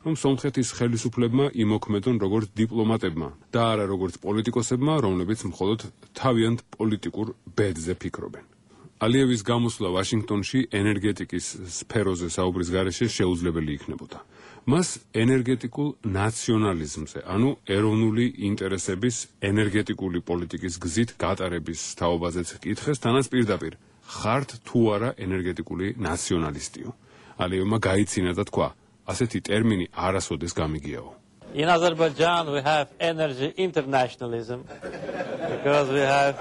რომ სომხეთის ხელისუფლებმა იმოქმედონ როგორც დიპლომატებმა და არა როგორც პოლიტიკოსებმა, რომლებიც მხოლოდ თავიანთ პოლიტიკურ ბედზე ფიქრობენ. ალიევის გამოსვლა ვაშინგტონში ენერგეტიკის სფეროზე საუბრის გარეშე შეუძლებელი იქნებოდა. მას ენერგეტიკულ ნაციონალიზმზე, ანუ ეროვნული ინტერესების ენერგეტიკული პოლიტიკის გზით გატარების თაობაზეც კითხეს, თანაც პირდაპირ ხართ თუ არა ენერგეტიკული ნაციონალისტიო. ალიევმა გაიცინა და თქვა, ასეთი ტერმინი არასოდეს გამიგიაო. In Azerbaijan we have energy internationalism because we have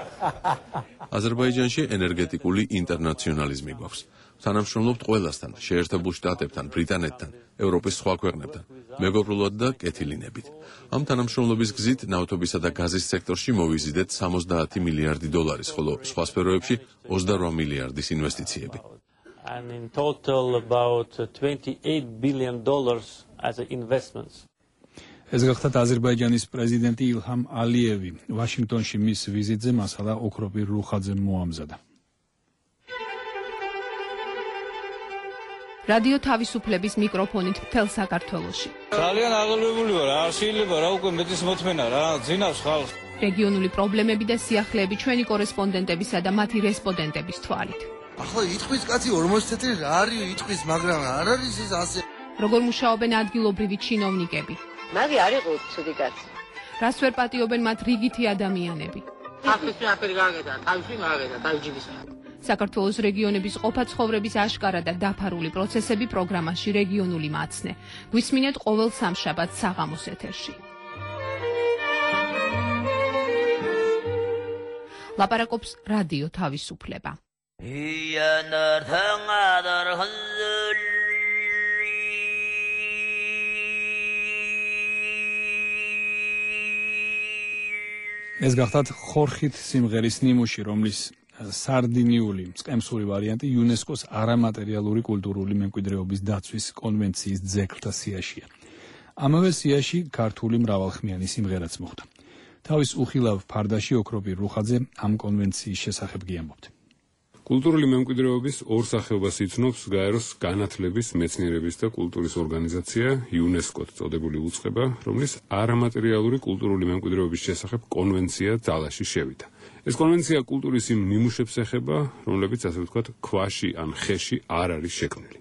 აზერბაიჯანში ენერგეტიკული ინტერნაციონალიზმი გვაქვს. თანამშრომლობთ ყველასთან, შეერთებულ შტატებთან, ბრიტანეთთან, ევროპის სხვა ქვეყნებთან, მეგობრულად და კეთილინებით. ამ თანამშრომლობის გზით ნავთობისა და გაზის სექტორში მოვიზიდეთ 70 მილიარდი დოლარის, ხოლო სხვა სფეროებში 28 მილიარდის ინვესტიციები. and in total about $28 billion as investments. ეს გახლავთ აზერბაიჯანის პრეზიდენტი ილჰამ ალიევი. ვაშინგტონში მის ვიზიტზე მასალა ოქროპირ რუხაძემ მოამზადა. რადიო თავისუფლების მიკროფონით მთელ საქართველოში. ძალიან აღელვებული ვარ, არ შეიძლება რა უკვე მეტის მოთმენა რა, ძინავს ხალხს. რეგიონული პრობლემები და სიახლეები ჩვენი კორესპონდენტებისა და მათი რესპონდენტების თვალით. ახლა იტყვის კაცი 40 წელი რა არის იტყვის, მაგრამ არ არის ეს ასე. როგორ მუშაობენ ადგილობრივი ჩინოვნიკები? მაგი არ იყო ცუდი კაცი. რას ვერ პატიობენ მათ რიგითი ადამიანები? ახლააფერი გაგედა, თავში მაგედა, თავჯიბის. საქართველოს რეგიონების ყოფა-ცხოვრების აშკარა და დაფარული პროცესები პროგრამაში რეგიონული მაცნე. გვისმინეთ ყოველ სამშაბათს საღამოს ეთერში. ლაპარაკობს რადიო თავისუფლება. ეს გახლავთ ხორხით სიმღერის ნიმუში, რომლის სარდინიული მწყემსური ვარიანტი იუნესკოს არამატერიალური კულტურული მემკვიდრეობის დაცვის კონვენციის ძეგლთა სიაშია. ამავე სიაში ქართული მრავალხმიანი სიმღერაც მოხვდა. თავის უხილავ ფარდაში ოქროპირ რუხაძე ამ კონვენციის შესახებ გიამბობთ. კულტურული მემკვიდრეობის ორ სახეობას იცნობს გაეროს განათლების, მეცნიერების და კულტურის ორგანიზაცია იუნესკოს წოდებული უწყება, რომლის არამატერიალური კულტურული მემკვიდრეობის შესახებ კონვენცია ძალაში შევიდა. ეს კონვენცია კულტურის იმ ნიმუშებს ეხება, რომლებიც ასე ვთქვათ, ქვაში ან ხეში არ არის შექმნილი.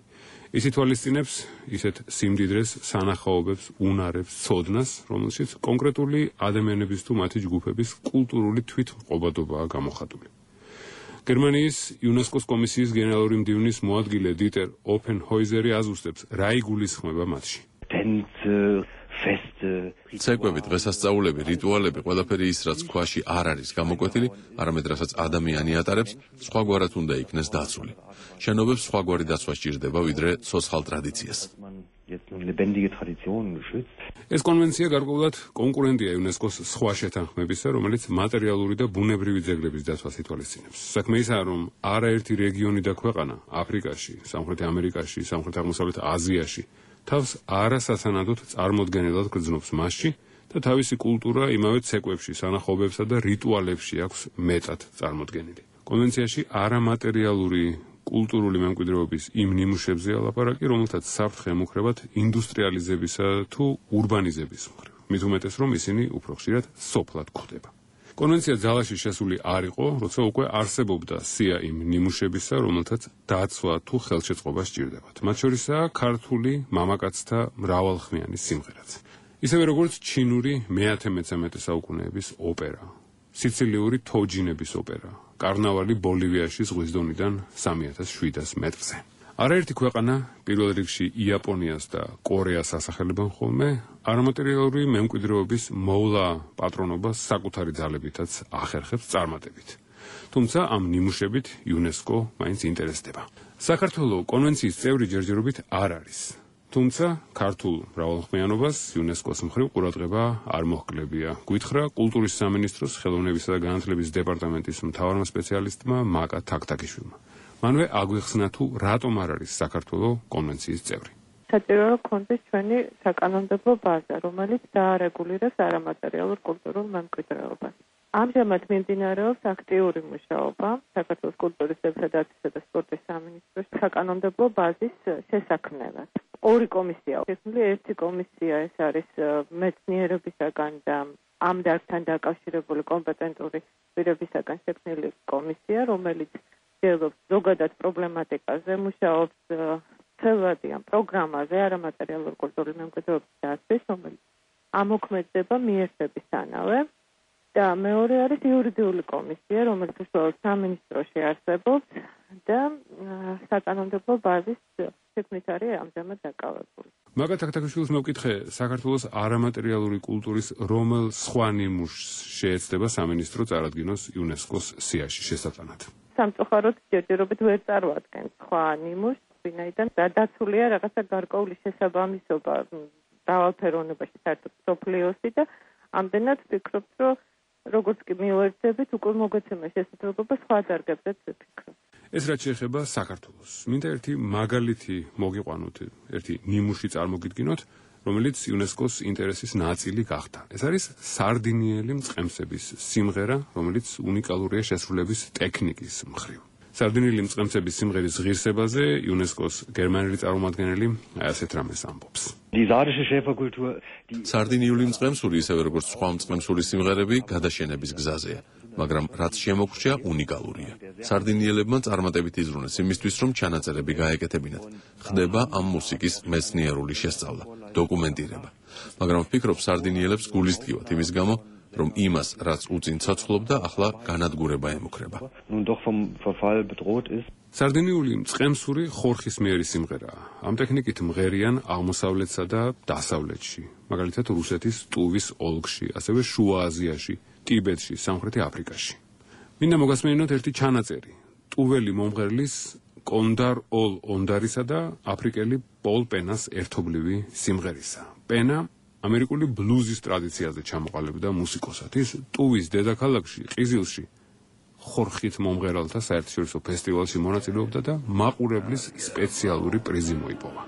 ის ითვალისწინებს ისეთ სიმდიდრეს, სანახაობებს, უნარებს, ცოდნას, რომელშიც კონკრეტული ადამიანების თუ მათი ჯგუფების კულტურული თვითმყოფადობაა გამოხატული. გერმანიის იუნესკოს კომისიის გენერალური მდივნის მოადგილე დიტერ ოფენჰოიზერი აზუსტებს, რა იგულისხმება მათში. ცეკვები, დღესასწაულები, რიტუალები, ყველაფერი ის, რაც ქვაში არ არის გამოკვეთილი, არამედ რასაც ადამიანი ატარებს, სხვაგვარად უნდა იქნეს დაცული. შენობებს სხვაგვარი დაცვა სჭირდება, ვიდრე ცოცხალ ტრადიციას. ეს კონვენცია გარკვეულად კონკურენტია იუნესკოს სხვა შეთანხმებისა, რომელიც მატერიალური და ბუნებრივი ძეგლების დაცვას ითვალისწინებს. საქმე ისაა, რომ არაერთი რეგიონი და ქვეყანა აფრიკაში, სამხრეთ ამერიკაში, სამხრეთ აღმოსავლეთ აზიაში თავს არასათანადოდ წარმოდგენილად გრძნობს მასში და თავისი კულტურა იმავე ცეკვებში, სანახაობებსა და რიტუალებში აქვს მეტად წარმოდგენილი. კონვენციაში არამატერიალური კულტურული მემკვიდრეობის იმ ნიმუშებზეა ლაპარაკი, რომელთაც საფრთხე ემუქრებათ ინდუსტრიალიზებისა თუ ურბანიზების მხრივ. მით უმეტეს, რომ ისინი უფრო ხშირად სოფლად გვხვდება. კონვენცია ძალაში შესული არ იყო, როცა უკვე არსებობდა სია იმ ნიმუშებისა, რომელთაც დაცვა თუ ხელშეწყობა სჭირდებათ. მათ შორისაა ქართული მამაკაცთა მრავალხმიანი სიმღერაც. ისევე როგორც ჩინური მე-13 საუკუნეების ოპერა, სიცილიური თოჯინების ოპერა, კარნავალი ბოლივიაში ზღვის დონიდან 3700 მეტრზე. არაერთი ქვეყანა, პირველ რიგში იაპონიას და კორეას ასახელებენ ხოლმე, არამატერიალური მემკვიდრეობის მოვლა პატრონობას საკუთარი ძალებითაც ახერხებს წარმატებით. თუმცა ამ ნიმუშებით იუნესკო მაინც ინტერესდება. საქართველოს კონვენციის წევრი ჯერჯერობით არ არის. თუმცა ქართულ მრავალხმიანობას იუნესკოს მხრივ ყურადღება არ მოჰკლებია. გვითხრა კულტურის სამინისტროს ხელოვნებისა და განათლების დეპარტამენტის მთავარმა სპეციალისტმა მაკა თაქთაქიშვილმა. მანვე აგვიხსნა თუ რატომ არ არის საქართველოს კონვენციის წევრი. საჭიროა გქონდეს ჩვენი საკანონმდებლო ბაზა, რომელიც დაარეგულირებს არამატერიალურ კულტურულ მემკვიდრეობას. ამჟამად მიმდინარეობს აქტიური მუშაობა საქართველოს კულტურის დაცვისა და სპორტის სამინისტროს საკანონმდებლო ბაზის შესაქმნელად. ორი კომისია შექმნილი, ერთი კომისია ეს არის მეცნიერებისაგან და ამ დარგთან დაკავშირებული კომპეტენტური პირებისაგან შექმნილი კომისია, რომელიც ძელობს ზოგადად პრობლემატიკაზე, მუშაობს ცელვადი ამ პროგრამაზე არამატერიალურ კულტურულ მემკვიდრეობის დაცვის, რომელიც ამოქმედდება მიერთებისთანავე. და მეორე არის იურიდიული კომისია, რომელიც უშუალოდ სამინისტროში არსებობს და საკანონმდებლო ბაზის შექმნით არის ამჟამად დაკავებული. მაკა თაქთაქიშვილს მოვკითხე, საქართველოს არამატერიალური კულტურის რომელ სხვა ნიმუშს შეეცდება სამინისტრო წარადგინოს იუნესკოს სიაში შესატანად. სამწუხაროდ ჯერჯერობით ვერ წარმოადგენს სხვა ნიმუშს, ვინაიდან დაცულია რაღაცა გარკვეული შესაბამისობა დავალფეროვნებაში საერთოდ სოფლიოსი და ამდენად ვფიქრობთ, რომ როგორც კი მივერძებით, უკვე მოგეცემა შესაძლებლობა სხვა დარგებზეც ვფიქრობ. ეს რაც შეეხება საქართველოს. მინდა ერთი მაგალითი მოგიყვანოთ, ერთი ნიმუში წარმოგიდგინოთ, რომელიც იუნესკოს ინტერესის ნაწილი გახდა. ეს არის სარდინიელი მწყემსების სიმღერა, რომელიც უნიკალურია შესრულების ტექნიკის მხრივ. სარდინიელი მწყემსების სიმღერის ღირსებაზე იუნესკოს გერმანელი წარმომადგენელი ასეთ რამეს ამბობს. სარდინიული მწყემსური, ისევე როგორც სხვა მწყემსური სიმღერები, გადაშენების გზაზეა, მაგრამ რაც შემოგრჩა უნიკალურია. სარდინიელებმა წარმატებით იზრუნეს იმისთვის, რომ ჩანაწერები გაეკეთებინათ. ხდება ამ მუსიკის მეცნიერული შესწავლა, დოკუმენტირება. მაგრამ ვფიქრობ, სარდინიელებს გულისდგივათ იმის გამო, რომ იმას, რაც უწინ ცოცხლობდა, ახლა განადგურება ემუქრება. სარდინიული მწყემსური ხორხისმიერი სიმღერაა. ამ ტექნიკით მღერიან აღმოსავლეთსა და დასავლეთში, მაგალითად რუსეთის ტუვის ოლქში, ასევე შუა აზიაში, ტიბეტში, სამხრეთი აფრიკაში. მინდა მოგასმენინოთ ერთი ჩანაწერი. ტუველი მომღერლის კონდარ ოლ ონდარისა და აფრიკელი პოლ პენას ერთობლივი სიმღერისა. პენა ამერიკული ბლუზის ტრადიციაზე ჩამოყალიბდა მუსიკოსად. ის ტუვის დედაქალაქში, ყიზილში, ხორხით მომღერალთა საერთაშორისო ფესტივალში მონაწილეობდა და მაყურებლის სპეციალური პრიზი მოიპოვა.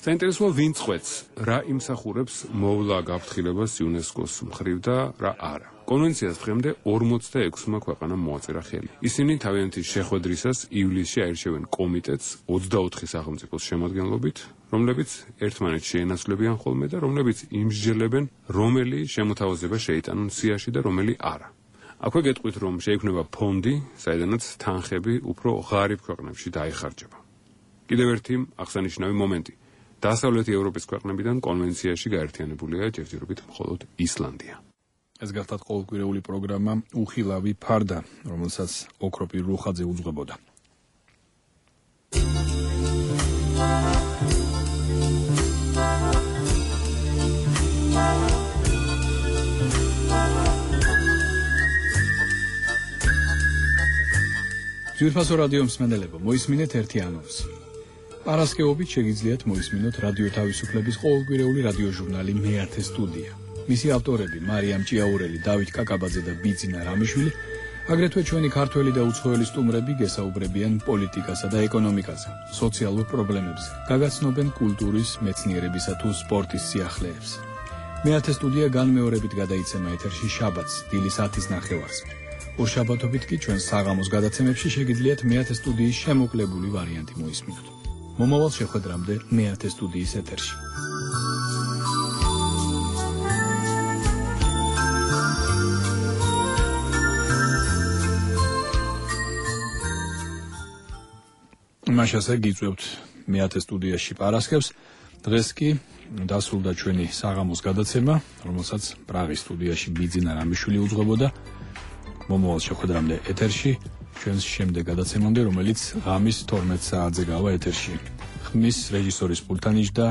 საინტერესოა ვინ წვეთს, რა იმსახურებს მოვლა გაფრთხილებას იუნესკოს მხრივ და რა არა. კონვენციას დღემდე 46-მა ქვეყანამ მოაწერა ხელი. ისინი თავიანთი შეხვედრისას ივლისში აირჩევენ კომიტეტს 24 სახელმწიფოს შემადგენლობით, რომლებიც ერთმანეთს შეენაცვლებიან ხოლმე და რომლებიც იმსჯელებენ, რომელი შემოთავაზება შეიტანონ სიაში და რომელი არა. აქვე გეტყვით, რომ შეიქმნება ფონდი, საიდანაც თანხები უფრო ღარიბ ქვეყნებში დაიხარჯება. კიდევ ერთი აღსანიშნავი მომენტი. დასავლეთი ევროპის ქვეყნებიდან კონვენციაში გაერთიანებულია ჯერჯერობით მხოლოდ ისლანდია. ეს გახლავთ ყოველკვირეული პროგრამა უხილავი ფარდა, რომელსაც ოქროპირ რუხაძე უძღვებოდა. ძვირფასო რადიო მსმენელებო, მოისმინეთ ერთი ანონსი. პარასკევობით შეგიძლიათ მოისმინოთ რადიო თავისუფლების ყოველკვირეული რადიო ჟურნალი მეათე სტუდია. მისი ავტორები მარიამ ჭიაურელი, დავით კაკაბაძე და ბიძინა რამიშვილი, აგრეთვე ჩვენი ქართველი და უცხოელი სტუმრები გესაუბრებიან პოლიტიკასა და ეკონომიკაზე, სოციალურ პრობლემებზე, გაგაცნობენ კულტურის, მეცნიერებისა თუ სპორტის სიახლეებს. მეათე სტუდია განმეორებით გადაიცემა ეთერში შაბათს, დილის 10-ის ნახევარს. ორშაბათობით კი ჩვენ საღამოს გადაცემებში შეგიძლიათ მეათე სტუდიის შემოკლებული ვარიანტი მოისმინოთ. მომავალ შეხვედრამდე მეათე სტუდიის ეთერში. მაშასე გიწევთ მეათე სტუდიაში პარასკევს. დღეს კი დასრულდა ჩვენი საღამოს გადაცემა, რომელსაც პრაღის სტუდიაში ბიძინა რამიშვილი უძღვებოდა. მომავალ შეხვედრამდე ეთერში, ჩვენს შემდეგ გადაცემამდე, რომელიც ღამის 12 საათზე გავა ეთერში. ხმის რეჟისორის პულტანიშ და